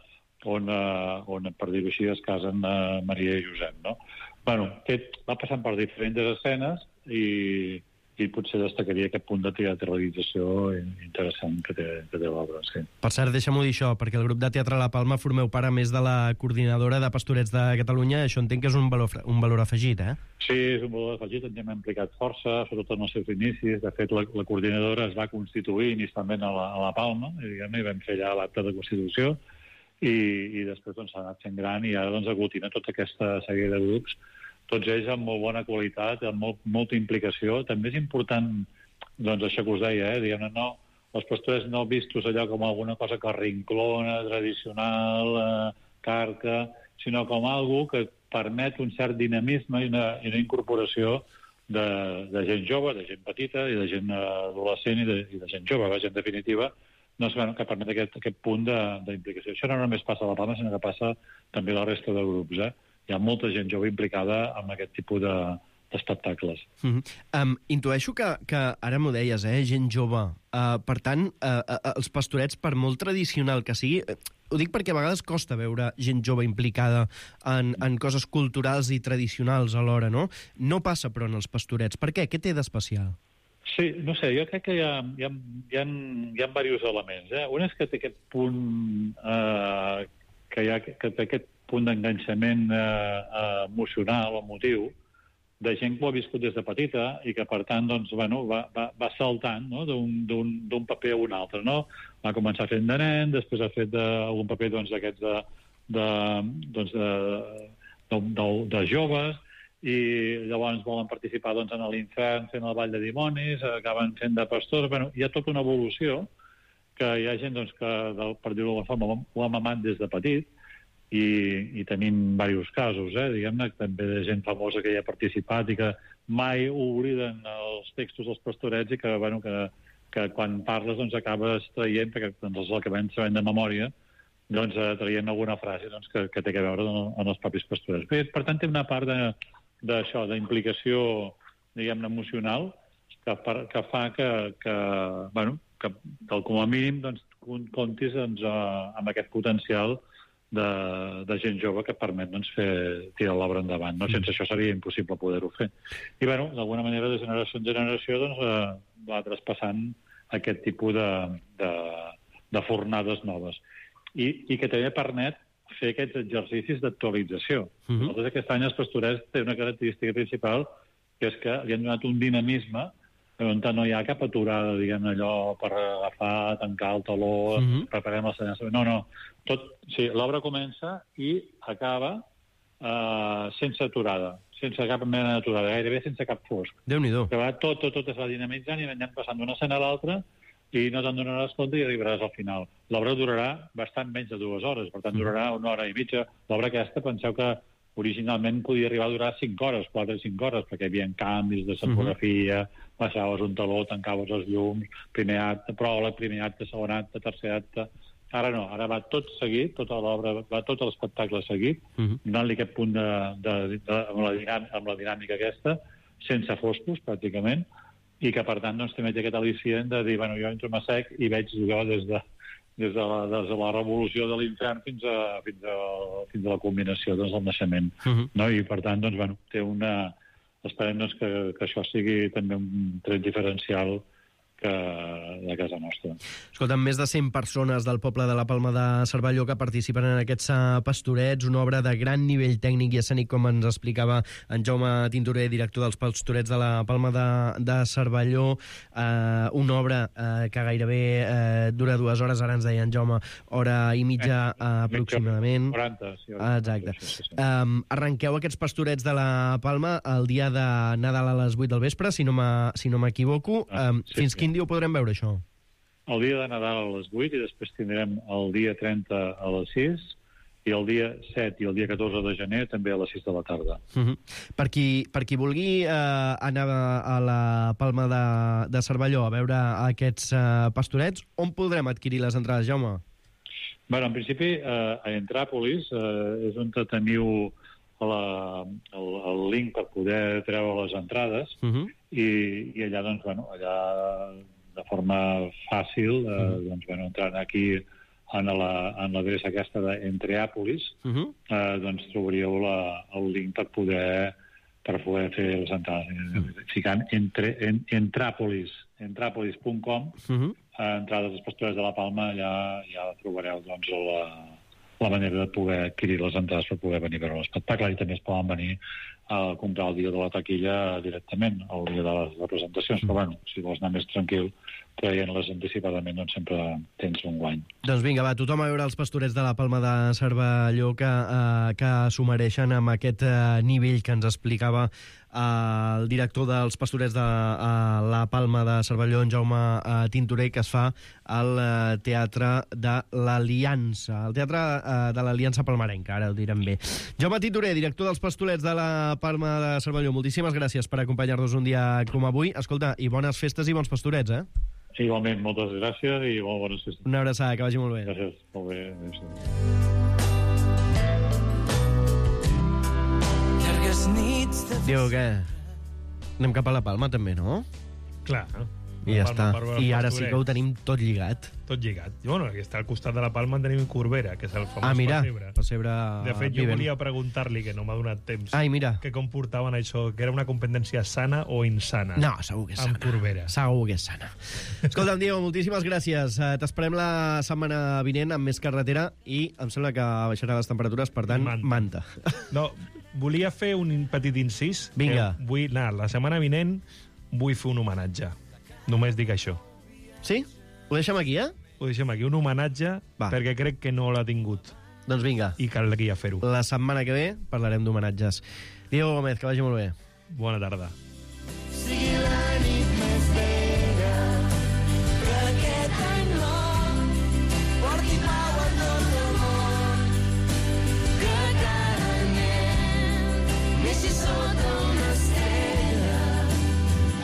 J: on, a, on per dir-ho així, es casen a Maria i Josep, no? Bueno, aquest va passant per diferents escenes i, i potser destacaria aquest punt de teatralització interessant que té, que té l'obra. Sí.
H: Per cert, deixa'm-ho dir això, perquè el grup de Teatre La Palma formeu part, a més de la coordinadora de Pastorets de Catalunya, això entenc que és un valor, un valor afegit, eh?
J: Sí, és un valor afegit, ens hem implicat força, sobretot en els seus inicis. De fet, la, la coordinadora es va constituir inicialment a la, a la Palma, i, diguem, i vam fer allà l'acte de constitució, i, i després doncs, s'ha anat fent gran i ara doncs, aglutina tota aquesta sèrie de grups, tots ells amb molt bona qualitat, amb molt, molta implicació. També és important, doncs, això que us deia, eh? Diguem-ne, no, els pastorets no vistos allò com alguna cosa carrinclona, tradicional, eh, carca, sinó com algo que permet un cert dinamisme i una, i una incorporació de, de gent jove, de gent petita i de gent adolescent i de, i de gent jove, vaja, en definitiva, doncs, bueno, que permet aquest, aquest punt d'implicació. Això no només passa a La Palma, sinó que passa també a la resta de grups. Eh? Hi ha molta gent jove implicada en aquest tipus de, d'espectacles.
H: Mm-hmm. um, intueixo que, que ara m'ho deies, eh? Gent jove. Uh, per tant, uh, uh, els pastorets, per molt tradicional que sigui... Uh, ho dic perquè a vegades costa veure gent jove implicada en, en coses culturals i tradicionals alhora, no? No passa, però, en els pastorets. Per què? Què té d'especial?
J: Sí, no sé, jo crec que hi ha, hi ha, hi ha, hi ha diversos elements. Eh? Un és que té aquest punt eh, que, hi ha, que té aquest punt d'enganxament eh, emocional o emotiu de gent que ho ha viscut des de petita i que, per tant, doncs, bueno, va, va, va saltant, no? d'un paper a un altre. No? Va començar fent de nen, després ha fet de, algun paper doncs, d'aquests de, de, doncs, de, de, de, de joves, i llavors volen participar doncs, en l'infern fent el ball de dimonis, acaben fent de pastors. Bueno, hi ha tota una evolució que hi ha gent doncs, que, per dir-ho d'alguna forma, ho ha mamat des de petit i, i tenim diversos casos, eh? Diguem-ne, també de gent famosa que hi ha participat i que mai obliden els textos dels pastorets i que, bueno, que, que quan parles doncs, acabes traient, perquè doncs, els acabem sabent de memòria, doncs, traient alguna frase doncs, que, que té a veure amb els propis pastorets. Per, per tant, té una part de d'això, d'implicació, diguem-ne, emocional, que, per, que fa que, que, bueno, que, que com a mínim doncs, comptis doncs, amb aquest potencial de, de gent jove que permet doncs, fer, tirar l'obra endavant. No? Sense això seria impossible poder-ho fer. I, bueno, d'alguna manera, de generació en generació, doncs, eh, va traspassant aquest tipus de, de, de fornades noves. I, i que també permet fer aquests exercicis d'actualització. Uh-huh. Nosaltres aquest any els pastorets té una característica principal, que és que li han donat un dinamisme on no hi ha cap aturada, diguem allò, per agafar, tancar el taló, uh-huh. preparem el senyal. No, no. Tot, sí, l'obra comença i acaba eh, sense aturada, sense cap mena d'aturada, gairebé sense cap fosc.
H: Déu-n'hi-do.
J: Que va, tot, tot, tot es va dinamitzant i anem passant d'una escena a l'altra i no te'n donaràs compte i arribaràs al final. L'obra durarà bastant menys de dues hores, per tant, durarà una hora i mitja. L'obra aquesta, penseu que originalment podia arribar a durar cinc hores, quatre o cinc hores, perquè hi havia canvis de escenografia, baixaves un taló, tancaves els llums, primer acte, pròleg, primer acte, segon acte, tercer acte... Ara no, ara va tot seguit, tota l'obra, va tot l'espectacle seguit, uh -huh. donant-li aquest punt de, de, de, amb, la dinàmica, amb la dinàmica aquesta, sense foscos, pràcticament, i que, per tant, doncs, també té aquest al·licient de dir, bueno, jo entro a sec i veig jo des de, des de, la, des de la revolució de l'infern fins a, fins a, fins a la culminació doncs, del naixement. Uh -huh. No? I, per tant, doncs, bueno, té una... Esperem doncs, que, que això sigui també un tret diferencial que de casa nostra.
H: Escolta, més de cent persones del poble de la Palma de Cervelló que participen en aquests pastorets, una obra de gran nivell tècnic i escènic, com ens explicava en Jaume Tintorer, director dels pastorets de la Palma de, de Cervelló, eh, una obra eh, que gairebé eh, dura dues hores, ara ens deia en Jaume, hora i mitja eh, aproximadament.
J: quaranta, sí.
H: Exacte. Sí, sí, sí. Um, arrenqueu aquests pastorets de la Palma el dia de Nadal a les vuit del vespre, si no m'equivoco.
J: Ah,
H: um,
J: sí,
H: fins
J: sí.
H: Quin dia ho podrem veure, això?
J: El dia de Nadal a les vuit i després tindrem el dia trenta a les sis i el dia set i el dia catorze de gener també a les sis de la tarda.
H: Uh-huh. Per qui, per qui vulgui eh, anar a la Palma de, de Cervelló a veure aquests eh, pastorets, on podrem adquirir les entrades, Jaume?
J: Bueno, en principi, eh, a Entràpolis eh, és on teniu la, el, el link per poder treure les entrades uh-huh. i, i allà, doncs, bueno, allà de forma fàcil, eh, uh-huh. doncs, bueno, entrant aquí en l'adreça la, aquesta d'Entreàpolis, uh-huh. eh, doncs trobaríeu la, el link per poder per poder fer les entrades. Uh-huh. Ficant entre, en, Entràpolis, entràpolis punt com, uh-huh. eh, entrades dels pastorets de la Palma, allà ja trobareu, doncs, la... la manera de poder adquirir les entrades per poder venir a veure l'espectacle, i també es poden venir a comprar el dia de la taquilla directament, el dia de les representacions, mm. però bueno, si vols anar més tranquil, traient-les anticipadament, doncs sempre tens un guany.
H: Doncs vinga, va, tothom a veure els pastorets de la Palma de Cervelló que, eh, que s'ho mereixen amb aquest eh, nivell que ens explicava eh, el director dels pastorets de eh, la Palma de Cervelló, en Jaume eh, Tintorer, que es fa al eh, Teatre de l'Aliança, el Teatre eh, de l'Aliança Palmarenca, ara ho direm bé. Jaume Tintorer, director dels pastorets de la Palma de Cervelló, moltíssimes gràcies per acompanyar-nos un dia com avui. Escolta, i bones festes i bons pastorets, eh?
J: Igualment, moltes gràcies i molt bones festes.
H: Una abraçada, que vagi molt bé.
J: Gràcies, molt bé. Gràcies.
H: Diu, què? Anem cap a la Palma, també, no?
I: Clar.
H: I ja està. I ara sí que ho tenim tot lligat.
I: Tot lligat. I bueno, aquí està al costat de la Palma en tenim Corbera, que és el famós
H: ah, mira,
I: pessebre.
H: pessebre.
I: De fet, jo
H: vivent.
I: volia preguntar-li, que no m'ha donat temps,
H: Ai, mira.
I: que com portaven això, que era una competència sana o insana.
H: No, segur que és sana.
I: Amb Corbera.
H: Segur que és sana. Escolta'm, Diego, moltíssimes gràcies. T'esperem la setmana vinent amb més carretera i em sembla que baixarà les temperatures, per tant, manta. manta.
I: No, volia fer un petit incís.
H: Vinga.
I: Vull anar, la setmana vinent vull fer un homenatge. Només dic això.
H: Sí? Ho deixem aquí, eh?
I: Ho deixem aquí, un homenatge, Va. perquè crec que no l'ha tingut.
H: Doncs vinga.
I: I caldria fer-ho.
H: La setmana que ve parlarem d'homenatges. Diego Gómez, que vagi molt bé.
I: Bona tarda.
K: Sigui la nit més vella, que aquest any nou porti pau a tot el món, que cada nen neixi sota una estrella.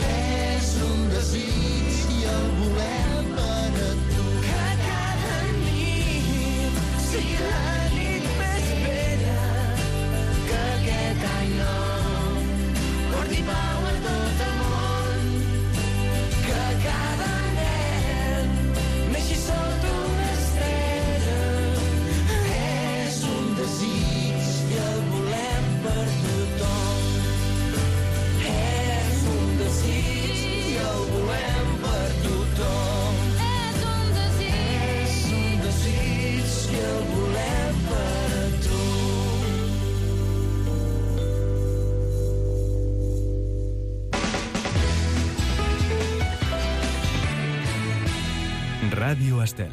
K: És un desig i el volem per a tu. Que cada nit sigui la nit més bella, que aquest any nou porti pau a tot el món, que cada nen neixi sota una estrella. És un desig i el volem per tothom. És un desig i el volem per tothom. És un desig, és un desig i el volem per a tu.
A: Ràdio Estel.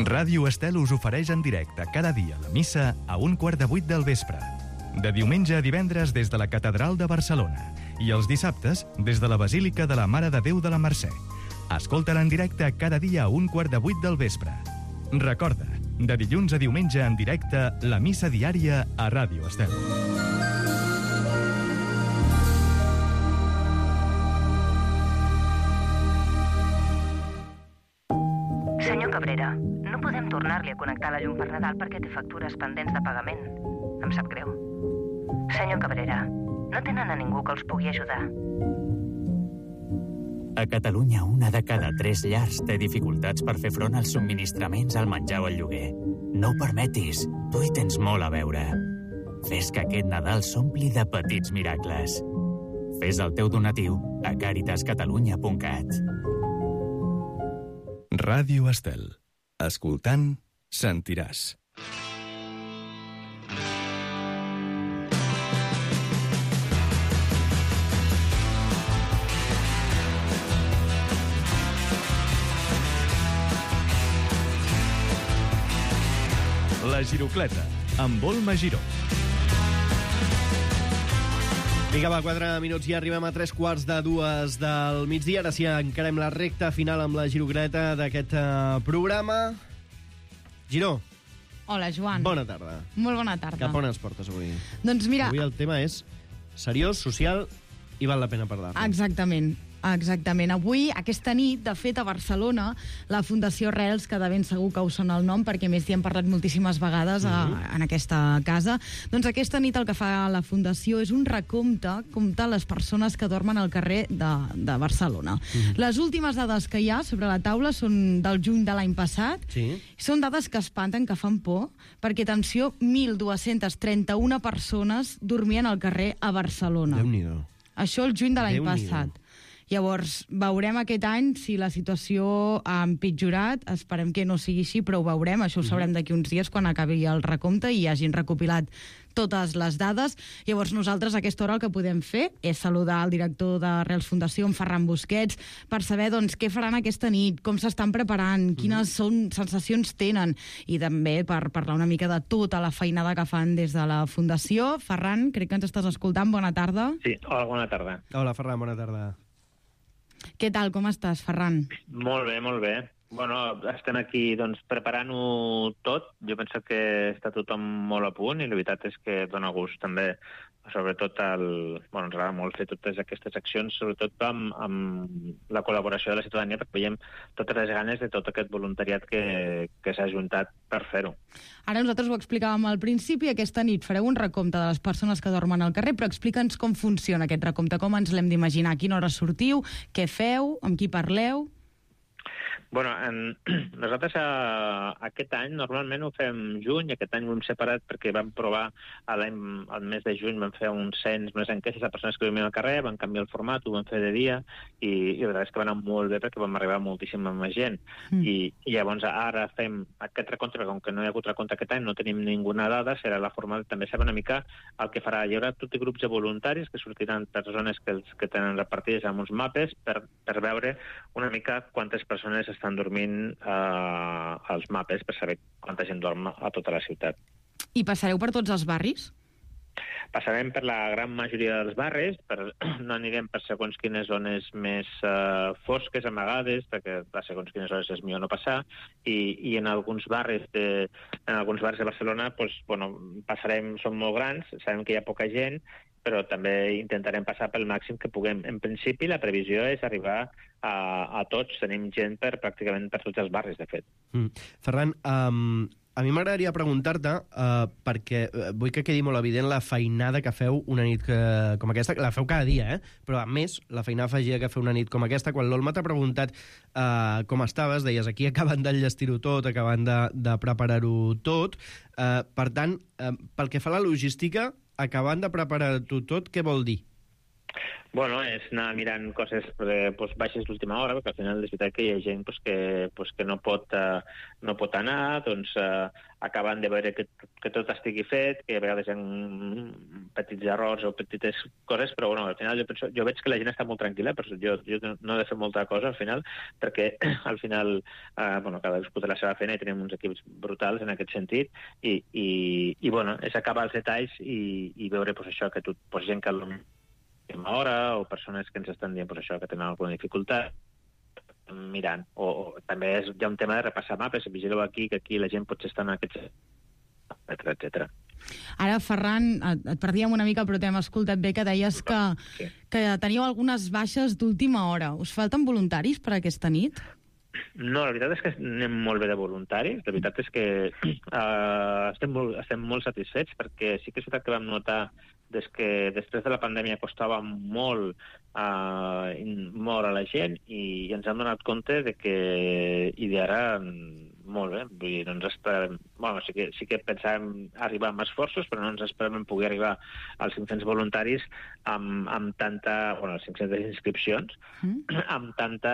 A: Ràdio Estel us ofereix en directe cada dia la missa a un quart de vuit del vespre. De diumenge a divendres des de la Catedral de Barcelona. i els dissabtes des de la Basílica de la Mare de Déu de la Mercè. Escolta-la en directe cada dia a un quart de vuit del vespre. Recorda, de dilluns a diumenge en directe, la missa diària a Ràdio Estel.
L: Senyor Cabrera, no podem tornar-li a connectar la llum per Nadal perquè té factures pendents de pagament. Em sap greu. Senyor Cabrera, no tenen a ningú que els pugui ajudar.
M: A Catalunya, una de cada tres llars té dificultats per fer front als subministraments, al menjar o al lloguer. No ho permetis, tu hi tens molt a veure. Fes que aquest Nadal s'ompli de petits miracles. Fes el teu donatiu a càritas catalunya punt cat.
A: Ràdio Estel. Escoltant, sentiràs. La Girocleta, amb Volma Giró.
H: Vinga, va, quatre minuts i arribem a tres quarts de dues del migdia. Ara sí, encarem la recta final amb la Girocleta d'aquest uh, programa. Giró.
N: Hola, Joan.
H: Bona tarda.
N: Molt bona tarda.
H: Cap on ens portes avui?
N: Doncs mira...
H: Avui el tema és seriós, social i val la pena parlar-ne.
N: Exactament. Exactament. Avui, aquesta nit, de fet, a Barcelona, la Fundació Rels, que de ben segur que us sona el nom, perquè més hi hem parlat moltíssimes vegades a, en aquesta casa, doncs aquesta nit el que fa la Fundació és un recompte, comptar les persones que dormen al carrer de, de Barcelona. Mm-hmm. Les últimes dades que hi ha sobre la taula són del juny de l'any passat.
H: Sí.
N: Són dades que espanten, que fan por, perquè, atenció, mil dues-centes trenta-una persones dormien al carrer a Barcelona.
H: Déu-n'hi-do.
N: Això el juny de l'any passat. Llavors, veurem aquest any si la situació ha empitjorat. Esperem que no sigui així, però ho veurem. Això ho sabrem d'aquí uns dies quan acabi el recompte i hagin recopilat totes les dades. Llavors, nosaltres a aquesta hora el que podem fer és saludar el director de Rels Fundació, en Ferran Busquets, per saber doncs, què faran aquesta nit, com s'estan preparant, quines són sensacions tenen, i també per parlar una mica de tota la feinada que fan des de la Fundació. Ferran, crec que ens estàs escoltant. Bona tarda.
O: Sí, hola, bona tarda.
H: Hola, Ferran, bona tarda.
N: Què tal, com estàs, Ferran?
O: Molt bé, molt bé. Bueno, estem aquí doncs, preparant-ho tot. Jo penso que està tothom molt a punt i la veritat és que dona gust també, sobretot el... Bueno, ens agrada molt fer totes aquestes accions, sobretot amb, amb la col·laboració de la ciutadania, perquè veiem totes les ganes de tot aquest voluntariat que, que s'ha ajuntat per fer-ho.
N: Ara nosaltres ho explicàvem al principi, aquesta nit fareu un recompte de les persones que dormen al carrer, però explica'ns com funciona aquest recompte, com ens l'hem d'imaginar, a quina hora sortiu, què feu, amb qui parleu...
O: Bueno, en, nosaltres a, aquest any normalment ho fem juny, aquest any ho hem separat perquè vam provar al mes de juny, vam fer un cens més enquestes a persones que dormien al carrer, vam canviar el format, ho vam fer de dia i, i la veritat és que va anar molt bé perquè vam arribar a moltíssima més gent. Mm. I, I llavors ara fem aquest recompte, perquè com que no hi ha hagut recompte aquest any, no tenim ninguna dada, serà la forma de també saber una mica el que farà. Hi haurà tot i grups de voluntaris que sortiran per zones que, els, que tenen repartides amb uns mapes per, per veure una mica quantes persones estan dormint eh, als mapes per saber quanta gent dorm a tota la ciutat.
N: I passareu per tots els barris?
O: Passarem per la gran majoria dels barris, per, no anirem per segons quines zones més uh, fosques, amagades, perquè a segons quines zones és millor no passar, i, i en alguns barris de, en alguns barris de Barcelona pues, bueno, passarem, són molt grans, sabem que hi ha poca gent, però també intentarem passar pel màxim que puguem. En principi, la previsió és arribar a, a tots. Tenim gent per pràcticament per tots els barris, de fet.
H: Mm. Ferran, um, a mi m'agradaria preguntar-te, uh, perquè vull que quedi molt evident la feinada que feu una nit que, com aquesta, la feu cada dia, eh? Però a més, la feinada afegida que feu una nit com aquesta, quan l'Olma t'ha preguntat uh, com estaves, deies aquí acabant d'enllestir-ho tot, acabant de, de preparar-ho tot. Uh, per tant, uh, pel que fa a la logística, acabant de preparar-ho tot, què vol dir?
O: Bueno, és anar mirant coses eh, pues, baixes d'última hora, perquè al final és veritat que hi ha gent pues, que, pues, que no, pot, uh, no pot anar, doncs uh, acabant de veure que, que tot estigui fet, que a vegades hi ha petits errors o petites coses, però bueno, al final jo, penso, jo veig que la gent està molt tranquil·la, però jo, jo no he de fer molta cosa al final, perquè al final uh, bueno, cada cadascú té la seva feina i tenim uns equips brutals en aquest sentit, i, i, i bueno, és acabar els detalls i, i veure pues, això, que tu, pues, gent que última hora, o persones que ens estan dient pues, això, que tenen alguna dificultat, mirant. O, o també és, hi ha un tema de repassar mapes, vigileu aquí, que aquí la gent potser està en aquests... etcètera, etcètera.
N: Ara, Ferran, et, et perdíem una mica, però t'hem escoltat bé que deies que,
O: sí.
N: que teníeu algunes baixes d'última hora. Us falten voluntaris per aquesta nit?
O: No, la veritat és que anem molt bé de voluntaris. La veritat és que uh, estem, molt, estem molt satisfets perquè sí que és veritat que vam notar des que després de la pandèmia costava molt uh, moure la gent i, i ens hem donat compte de que i d'ara molt bé, vull dir, no ens esperem... Bueno, sí que, sí que pensàvem arribar amb esforços, però no ens esperem poder arribar als cinc-cents voluntaris amb, amb tanta... Bueno, als cinc-centes inscripcions, mm. amb tanta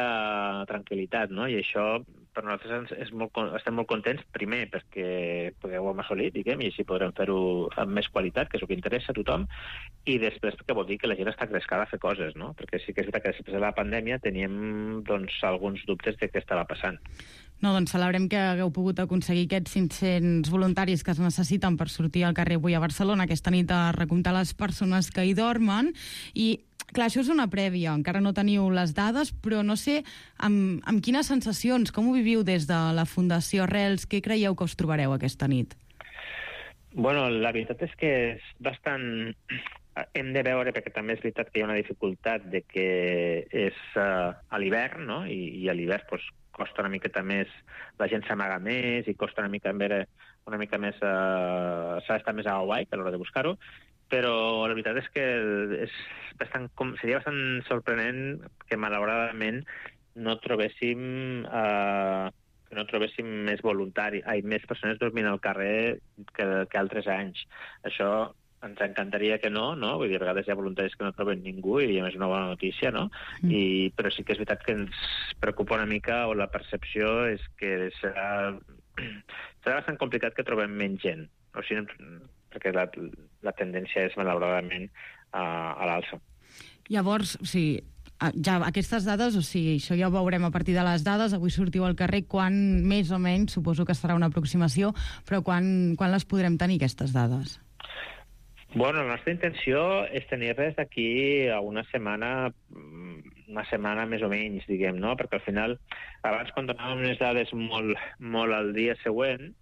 O: tranquil·litat, no? I això per nosaltres és molt, estem molt contents, primer perquè, perquè ho hem assolit, diguem, i així podrem fer-ho amb més qualitat, que és el que interessa a tothom, i després perquè vol dir que la gent està crescada a fer coses, no? Perquè sí que és veritat que després de la pandèmia teníem doncs, alguns dubtes de què estava passant.
N: No, doncs celebrem que hagueu pogut aconseguir aquests cinc-cents voluntaris que es necessiten per sortir al carrer avui a Barcelona aquesta nit a recomptar les persones que hi dormen. I, clar, això és una prèvia, encara no teniu les dades, però no sé amb, amb quines sensacions, com ho viviu des de la Fundació Arrels, què creieu que us trobareu aquesta nit?
O: Bueno, la veritat és que és bastant... Hem de veure, perquè també és veritat que hi ha una dificultat de que és uh, a l'hivern, no? I, i a l'hivern doncs, costa una miqueta més, la gent s'amaga més i costa una mica, una mica més, uh, s'ha d'estar més a Hawaii a l'hora de buscar-ho, però la veritat és que és bastant, seria bastant sorprenent que malauradament no trobéssim... Uh, que no trobéssim més voluntari, ai, més persones dormint al carrer que, que altres anys. Això ens encantaria que no, no? Vull dir, a vegades hi ha voluntaris que no troben ningú i a més una bona notícia, no? Mm. I, però sí que és veritat que ens preocupa una mica, o la percepció és que serà, serà bastant complicat que trobem menys gent. O sigui, perquè la, la tendència és malauradament a, a l'alça.
N: Llavors, o sigui, ja aquestes dades, o sigui, això ja ho veurem a partir de les dades, avui sortiu al carrer, quan més o menys, suposo que serà una aproximació, però quan, quan les podrem tenir, aquestes dades?
O: Bueno, la nostra intenció és tenir-les d'aquí a una setmana, una setmana més o menys, diguem, no? Perquè al final, abans quan donàvem unes dades molt, molt al dia següent,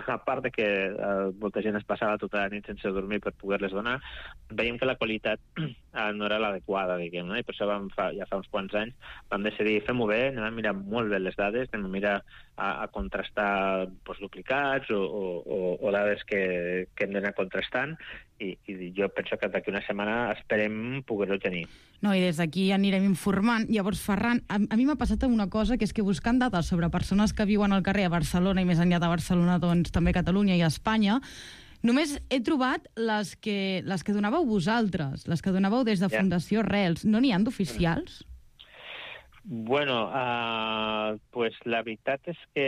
O: a part de que eh, molta gent es passava tota la nit sense dormir per poder-les donar, veiem que la qualitat eh, no era l'adequada, diguem, no? I per això vam fa, ja fa uns quants anys vam decidir, fem-ho bé, anem a mirar molt bé les dades, anem a mirar a, a contrastar doncs, duplicats o, o, o, o dades que, que hem d'anar contrastant, i, i jo penso que d'aquí una setmana esperem poder-ho tenir.
N: No, i des d'aquí anirem informant. Llavors, Ferran, a, a mi m'ha passat una cosa, que és que buscant dades sobre persones que viuen al carrer a Barcelona i més enllà de Barcelona, doncs també a Catalunya i a Espanya, només he trobat les que, les que donàveu vosaltres, les que donàveu des de yeah. Fundació Arrels. No n'hi ha d'oficials?
O: Bueno, uh, pues la veritat és que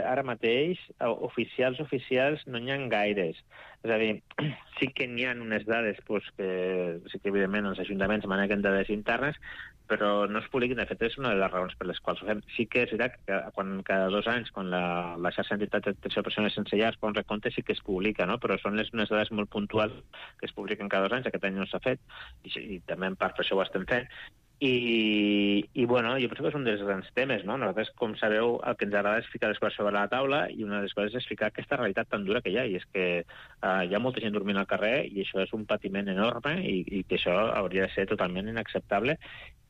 O: ara mateix uh, oficials, oficials no n'hi ha gaires. És a dir, sí que n'hi ha unes dades pues, que sí que evidentment els ajuntaments maneguen dades internes, però no es publiquen. De fet, és una de les raons per les quals ho fem. Sí que és veritat que quan, cada dos anys, quan la, la xarxa d'entitats d'atenció a persones sense llar fa un recompte, sí que es publica, no? Però són les, unes dades molt puntuals que es publiquen cada dos anys. Aquest any no s'ha fet, i, i també en part per això ho estem fent. I, i bueno, jo penso que és un dels grans temes, no? Nosaltres, com sabeu, el que ens agrada és ficar les coses sobre la taula, i una de les coses és ficar aquesta realitat tan dura que hi ha, i és que uh, hi ha molta gent dormint al carrer, i això és un patiment enorme, i, i que això hauria de ser totalment inacceptable,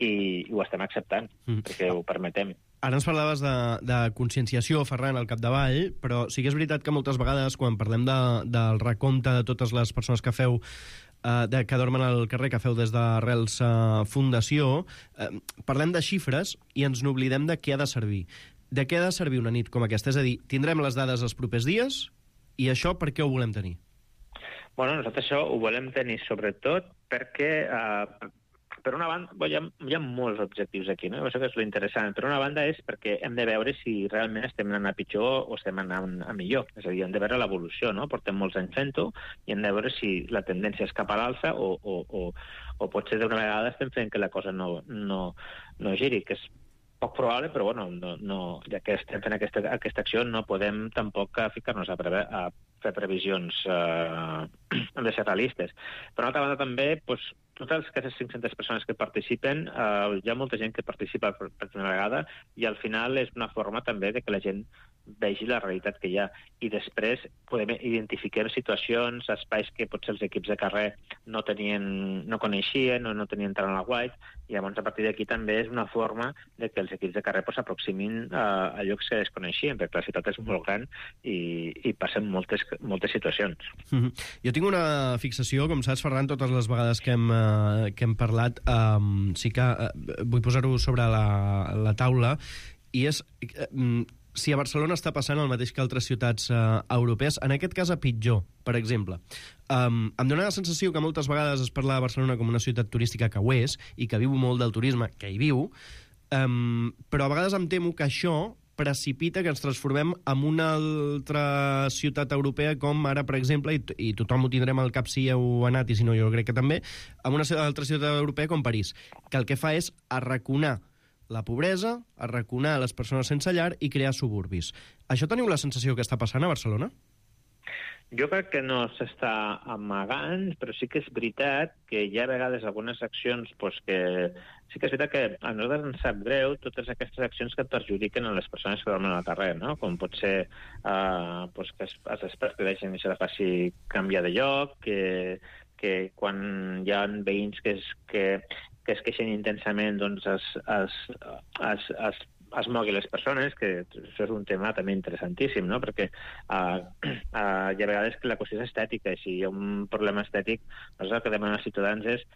O: i, i ho estem acceptant, mm. perquè ho permetem.
H: Ara ens parlaves de, de conscienciació, Ferran, al capdavall, però sí que és veritat que moltes vegades, quan parlem de, del recompte de totes les persones que feu Uh, de, que dormen al carrer, que feu des d'Arrels uh, Fundació, uh, parlem de xifres i ens n'oblidem de què ha de servir. De què ha de servir una nit com aquesta? És a dir, tindrem les dades els propers dies, i això per què ho volem tenir?
O: Bueno, nosaltres això ho volem tenir sobretot perquè, uh, per una banda, hi ha, hi ha molts objectius aquí, no? Això que és l'interessant. Per una banda és perquè hem de veure si realment estem anant a pitjor o estem anant a millor. És a dir, hem de veure l'evolució, no? Portem molts anys fent-ho i hem de veure si la tendència és cap a l'alça o, o, o, o potser d'una vegada estem fent que la cosa no, no, no giri, que és poc probable, però bueno, no, no, ja que estem fent aquesta, aquesta acció no podem tampoc ficar-nos a, preve, a fer previsions, eh, hem de ser realistes. Per una altra banda també, doncs, totes aquestes cinc-centes persones que participen, eh, hi ha molta gent que participa per, per primera vegada i al final és una forma també de que la gent vegi la realitat que hi ha. I després podem identificar situacions, espais que potser els equips de carrer no tenien, no coneixien o no tenien tant a la guait, i llavors a partir d'aquí també és una forma de que els equips de carrer s'aproximin pues, a, a llocs que desconeixien, perquè la ciutat és molt gran i, i passen moltes, moltes situacions.
H: Mm-hmm. Jo tinc una fixació, com saps, Ferran, totes les vegades que hem, uh, que hem parlat, um, sí que uh, vull posar-ho sobre la, la taula, i és... Uh, si a Barcelona està passant el mateix que altres ciutats eh, europees, en aquest cas a pitjor, per exemple. Um, em dóna la sensació que moltes vegades es parla de Barcelona com una ciutat turística que ho és, i que viu molt del turisme, que hi viu, um, però a vegades em temo que això precipita que ens transformem en una altra ciutat europea, com ara, per exemple, i, i tothom ho tindrem al cap si heu anat, i si no jo crec que també, en una altra ciutat europea com París, que el que fa és arraconar la pobresa, arraconar les persones sense llar i crear suburbis. Això teniu la sensació que està passant a Barcelona?
O: Jo crec que no s'està amagant, però sí que és veritat que hi ha a vegades algunes accions pues, que... Sí que és veritat que a nosaltres ens sap greu totes aquestes accions que perjudiquen a les persones que dormen al carrer, no? Com pot ser uh, pues, que els experts que deixen això de faci canviar de lloc, que, que quan hi ha veïns que, és, que, que es queixen intensament, doncs es, es, es, es, es mogui les persones, que això és un tema també interessantíssim, no? Perquè uh, uh, hi ha vegades que la qüestió és estètica, i si hi ha un problema estètic, nosaltres el que demanem als ciutadans és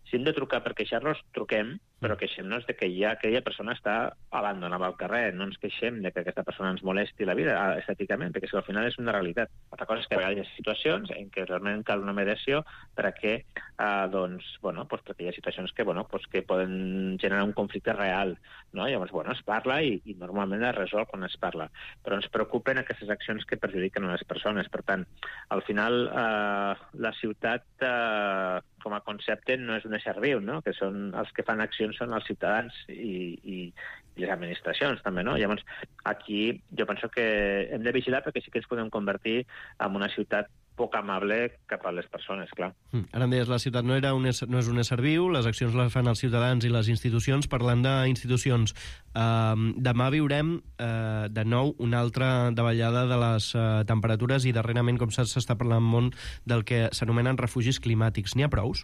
O: si hem de trucar per queixar-nos, truquem, però queixem-nos de que ja aquella persona està abandonada al carrer, no ens queixem de que aquesta persona ens molesti la vida estèticament, perquè si al final és una realitat. Altra cosa és que a vegades hi ha situacions en què realment cal una mediació perquè, eh, doncs, bueno, pues perquè hi ha situacions que, bueno, pues que poden generar un conflicte real, no? Llavors, bueno, es parla i, i normalment es resol quan es parla, però ens preocupen aquestes accions que perjudiquen a les persones. Per tant, al final, eh, la ciutat, eh, com a concepte, no és un ésser viu, no? Que són els que fan accions són els ciutadans i, i, i les administracions, també, no? Llavors, aquí jo penso que hem de vigilar perquè sí que ens podem convertir en una ciutat poc amable cap a les persones, clar.
H: Mm. Ara em deies, la ciutat no, era un ésser, no és un ésser viu, les accions les fan els ciutadans i les institucions. Parlant d'institucions, eh, demà viurem eh, de nou una altra davallada de les eh, temperatures, i darrerament, com saps, s'està parlant molt del que s'anomenen refugis climàtics. N'hi ha prous?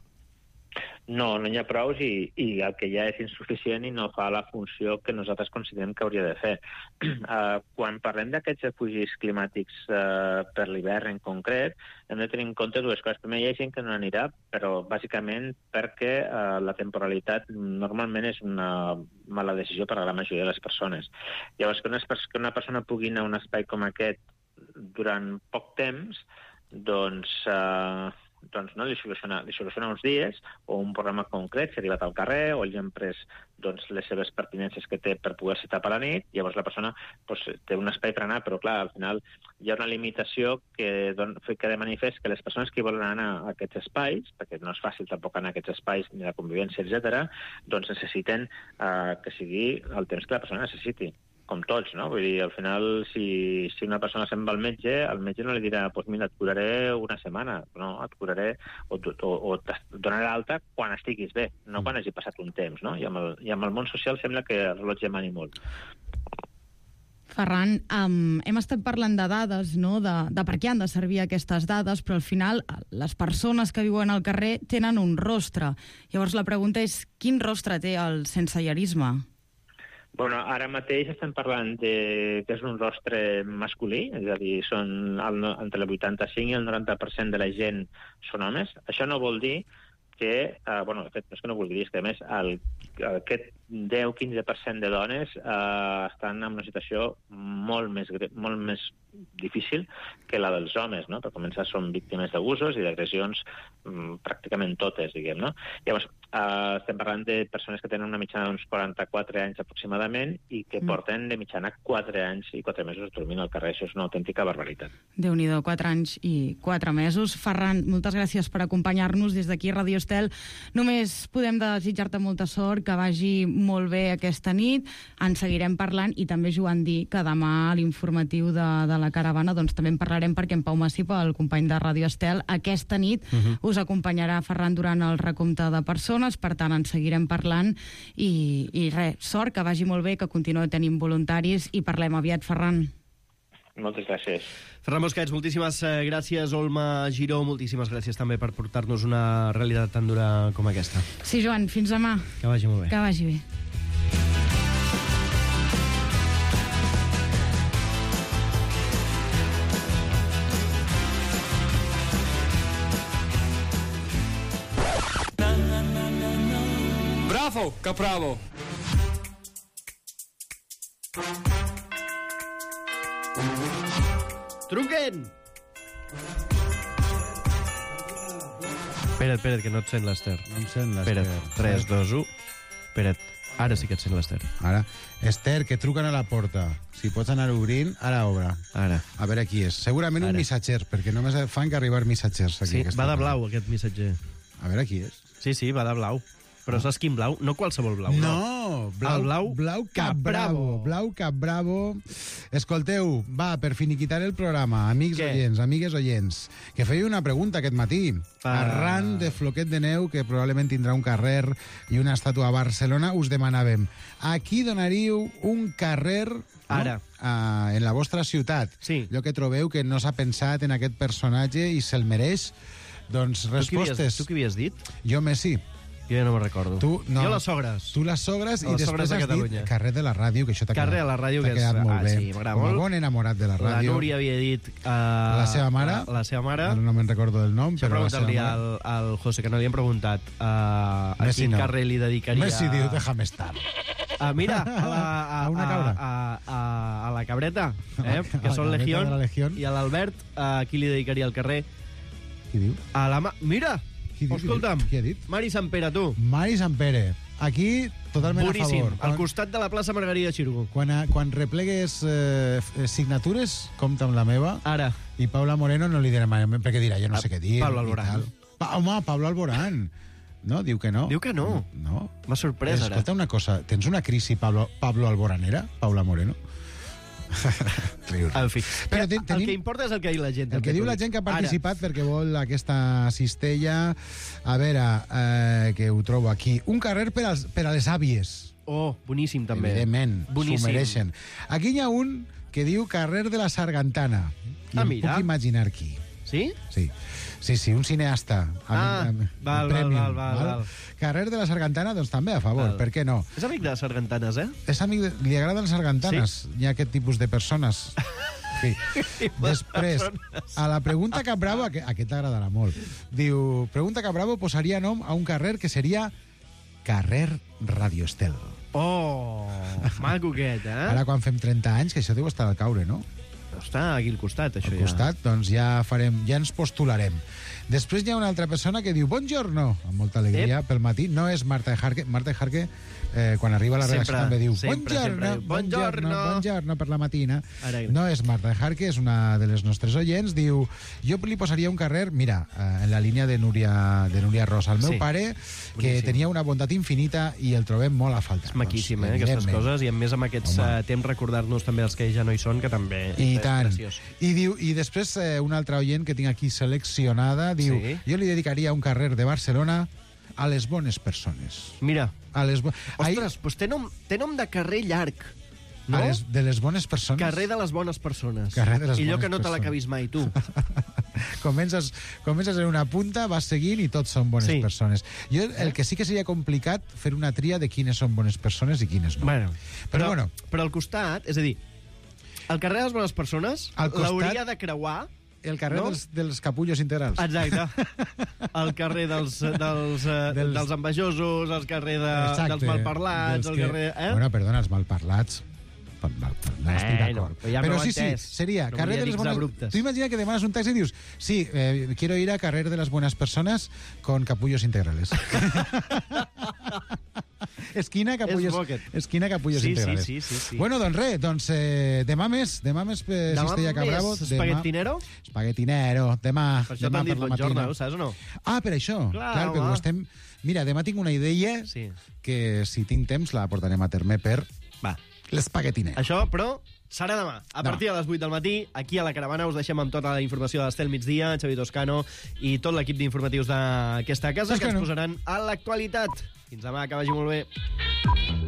O: No, no n'hi ha prous, i, i el que ja és insuficient i no fa la funció que nosaltres considerem que hauria de fer. Uh, quan parlem d'aquests refugis climàtics uh, per l'hivern en concret, hem de tenir en compte dues coses. Primer, hi ha gent que no anirà, però bàsicament perquè uh, la temporalitat normalment és una mala decisió per a la majoria de les persones. Llavors, que una, que una persona pugui anar a un espai com aquest durant poc temps, doncs... Uh, doncs no, li soluciona, li soluciona uns dies o un programa concret, si ha arribat al carrer o ell ha pres doncs, les seves pertinences que té per poder-se tapar a la nit, llavors la persona doncs, té un espai per anar, però clar, al final hi ha una limitació que don, que de manifest que les persones que volen anar a aquests espais, perquè no és fàcil tampoc anar a aquests espais ni la convivència, etcètera, doncs necessiten eh, que sigui el temps que la persona necessiti, com tots, no? Vull dir, al final, si, si una persona se'n va al metge, el metge no li dirà, doncs pues mira, et curaré una setmana, no? Et curaré o, o, o et donaré l'alta quan estiguis bé, no quan hagi passat un temps, no? I amb el, i amb el món social sembla que el rellotge mani molt.
N: Ferran, um, hem estat parlant de dades, no? de, de per què han de servir aquestes dades, però al final les persones que viuen al carrer tenen un rostre. Llavors la pregunta és, quin rostre té el sensellarisme?
O: Bueno, ara mateix estem parlant de que és un rostre masculí, és a dir, són el, entre el vuitanta-cinc i el noranta per cent de la gent són homes. Això no vol dir que, eh, bueno, de fet, no és que no vulgui dir, és que a més el, aquest deu a quinze per cent de dones eh, estan en una situació molt més, molt més difícil que la dels homes, no? Per començar, són víctimes d'abusos i d'agressions mm, pràcticament totes, diguem, no? Llavors, eh, estem parlant de persones que tenen una mitjana d'uns quaranta-quatre anys aproximadament i que mm. porten de mitjana quatre anys i quatre mesos dormint al carrer. Això és una autèntica barbaritat.
N: Déu-n'hi-do, quatre anys i quatre mesos. Ferran, moltes gràcies per acompanyar-nos des d'aquí, Radio Estel. Només podem desitjar-te molta sort, que vagi molt bé aquesta nit, en seguirem parlant i també Joan dir que demà a l'informatiu de, de la caravana doncs també en parlarem perquè en Pau Massip, el company de Ràdio Estel, aquesta nit uh-huh. us acompanyarà Ferran durant el recompte de persones, per tant en seguirem parlant i, i res, sort, que vagi molt bé, que continueu tenint voluntaris i parlem aviat, Ferran.
O: Moltes gràcies.
H: Ferran Busquets, moltíssimes gràcies. Olma Giró, moltíssimes gràcies també per portar-nos una realitat tan dura com aquesta.
N: Sí, Joan, fins demà.
H: Que vagi molt bé.
N: Que vagi bé.
P: Bravo, Capravo!
H: Truquen! Espera't, espera't, que no et sent l'Ester.
Q: No em sent l'Ester.
H: Espera't, tres, dos, u. Espera't, ara sí que et sent l'Ester.
Q: Ara. Esther, que truquen a la porta. Si pots anar obrint, ara obre.
H: Ara.
Q: A veure qui és. Segurament ara. Un missatger, perquè només fan que arribar missatgers. Aquí,
H: sí, va de blau, aquest missatger.
Q: A veure qui és.
H: Sí, sí, va de blau. Però saps quin blau? No qualsevol blau.
Q: No,
H: no.
Q: blau,
H: el blau,
Q: blau cap bravo. Blau cap bravo. Escolteu, va, per finiquitar el programa, amics Què? oients, amigues oients, que feia una pregunta aquest matí. Ah. Arran de Floquet de Neu, que probablement tindrà un carrer i una estàtua a Barcelona, us demanàvem, a qui donaríeu un carrer
H: Ara.
Q: No? Uh, en la vostra ciutat?
H: Sí.
Q: Allò que trobeu que no s'ha pensat en aquest personatge i se'l mereix? Doncs respostes.
H: Tu qui havies dit?
Q: Jo, Messi.
H: Jo ja no me'n recordo.
Q: Tu, no.
H: Jo les Sogres.
Q: Tu les Sogres
H: les
Q: i després
H: Sogres
Q: has
H: dit
Q: carrer de la ràdio, que això t'ha quedat,
H: de la ràdio,
Q: que
H: quedat
Q: és... molt
H: ah,
Q: bé.
H: Sí,
Q: Com a bon enamorat de la ràdio.
H: La Núria havia dit... Uh,
Q: la seva mare.
H: La, la seva mare.
Q: No, no me'n recordo del nom, però la seva mare.
H: Al, al José, que no li hem preguntat uh, a
Q: Messi
H: quin
Q: no.
H: carrer li dedicaria...
Q: Messi diu, déjame estar.
H: Uh, mira, a, la, a,
Q: a una cabra.
H: A, a, a, a la cabreta, eh,
Q: a
H: que són Legión,
Q: Legión,
H: i a l'Albert, a uh, qui li dedicaria el carrer?
Q: Qui diu?
H: A la ma... Mira!
Q: Qui diu,
H: escolta'm,
Q: qui ha dit?
H: Mari Sampere, tu.
Q: Mari Sampere. Aquí, totalment
H: Boníssim,
Q: a favor.
H: al costat de la plaça Margarida Xirgo.
Q: Quan, a, quan replegues eh, signatures, compta amb la meva.
H: Ara.
Q: I Paula Moreno no li dirà mai, perquè dirà, jo no sé què dir.
H: Pablo Alborán.
Q: Pa, home, Pablo Alborán. No, diu que no.
H: Diu que no.
Q: No.
H: M'ha sorprès, ara.
Q: Escolta una cosa, tens una crisi Pablo, Pablo Alboranera, Paula Moreno?
H: En fi,
Q: però
H: ten,
Q: tenim...
H: el que importa és el que diu la gent.
Q: El que diu la gent que ha participat Ara. perquè vol aquesta cistella. A veure, eh, que ho trobo aquí. Un carrer per, als, per a les àvies.
H: Oh, boníssim, també.
Q: Evidentment, s'ho mereixen. Aquí hi ha un que diu carrer de la Sargantana. I
H: ah,
Q: em
H: mira.
Q: puc imaginar qui.
H: Sí?
Q: Sí. Sí, sí, un cineasta.
H: Ah,
Q: amb, amb,
H: val,
Q: amb premium,
H: val, val, val, val.
Q: Carrer de la Sargantana, doncs també a favor, val. Per què no?
H: És amic de les sargantanes, eh?
Q: És amic de... Li agraden les sargantanes.
H: Sí?
Q: Hi ha aquest tipus de persones. Sí. Després, a la pregunta Cap Bravo, aquest t'agradarà molt. Diu, pregunta Cap Bravo posaria nom a un carrer que seria carrer Radio Estel.
H: Oh, maco aquest, eh?
Q: Ara quan fem trenta anys, que això deu estar al caure, no?
H: Està aquí al costat, això
Q: al
H: ja.
Q: Al costat, doncs ja farem, ja ens postularem. Després hi ha una altra persona que diu Buongiorno, amb molta alegria, Ep. pel matí. No és Marta Jarque. Marta Jarque, eh, quan arriba a la redacció,
H: sempre,
Q: també diu
H: sempre,
Q: Buongiorno,
H: sempre.
Q: Buongiorno, Buongiorno per la matina.
H: Ara.
Q: No és Marta Jarque, és una de les nostres oients. Diu, jo li posaria un carrer, mira, eh, en la línia de Núria, de Núria Rosa. El meu
H: sí.
Q: pare, que Boníssim. tenia una bondat infinita i el trobem molt a faltar.
H: És maquíssim,
Q: doncs,
H: eh, aquestes coses, i a més amb aquests uh, temps recordar-nos també els que ja no hi són, que també
Q: I
H: és
Q: tant.
H: preciós.
Q: I, diu, i després eh, una altra oient que tinc aquí seleccionada diu,
H: sí.
Q: jo li dedicaria un carrer de Barcelona a les bones persones.
H: Mira,
Q: a les bo...
H: ostres, Ahí... doncs té nom, té nom de carrer llarg. No?
Q: A les, de les bones persones?
H: Carrer de les bones persones.
Q: Carrer de les
H: I allò
Q: bones
H: que no te
Q: persones.
H: l'acabis mai, tu.
Q: comences, comences en una punta, vas seguint i tots són bones
H: sí.
Q: persones. Jo, el que sí que seria complicat fer una tria de quines són bones persones i quines no.
H: Bueno,
Q: però,
H: però,
Q: bueno.
H: però al costat, és a dir, el carrer de les bones persones l'hauria de creuar
Q: el carrer
H: no?
Q: dels, dels capullos integrals.
H: Exacte. El carrer dels, dels, dels... dels envejosos, el carrer de, dels malparlats, el carrer... Eh?
Q: Bueno, perdona, els malparlats... Mal, mal, no estic d'acord.
H: Però, ja
Q: però sí,
H: entès.
Q: sí, seria
H: no
Q: carrer de les bones...
H: abruptes.
Q: Tu imagina que demanes un taxi i dius sí, eh, quiero ir a carrer de las buenas personas con capullos integrales. Esquina Capullos, esquina Capullos
H: sí,
Q: Integrales.
H: Sí, sí, sí, sí.
Q: Bueno, doncs res, doncs eh, demà més, demà més eh, Cistella Cabravo.
H: Espaguetinero?
Q: Espaguetinero, demà.
H: Per això
Q: demà
H: t'han dit
Q: per la
H: buongiorno,
Q: matina.
H: ho saps o no?
Q: Ah, per això.
H: Clar,
Q: Clar, perquè
H: home.
Q: ho estem... Mira, demà tinc una idea
H: Sí.
Q: que si tinc temps la portarem a terme per
H: Va.
Q: l'espaguetinero.
H: Això, però, serà demà. A
Q: Demà.
H: partir de les vuit del matí, aquí a la Caravana us deixem amb tota la informació de l'Estel Migdia, Xavi Toscano i tot l'equip d'informatius d'aquesta casa que ens
Q: Toscano.
H: posaran a l'actualitat. Fins demà, que vagi molt bé.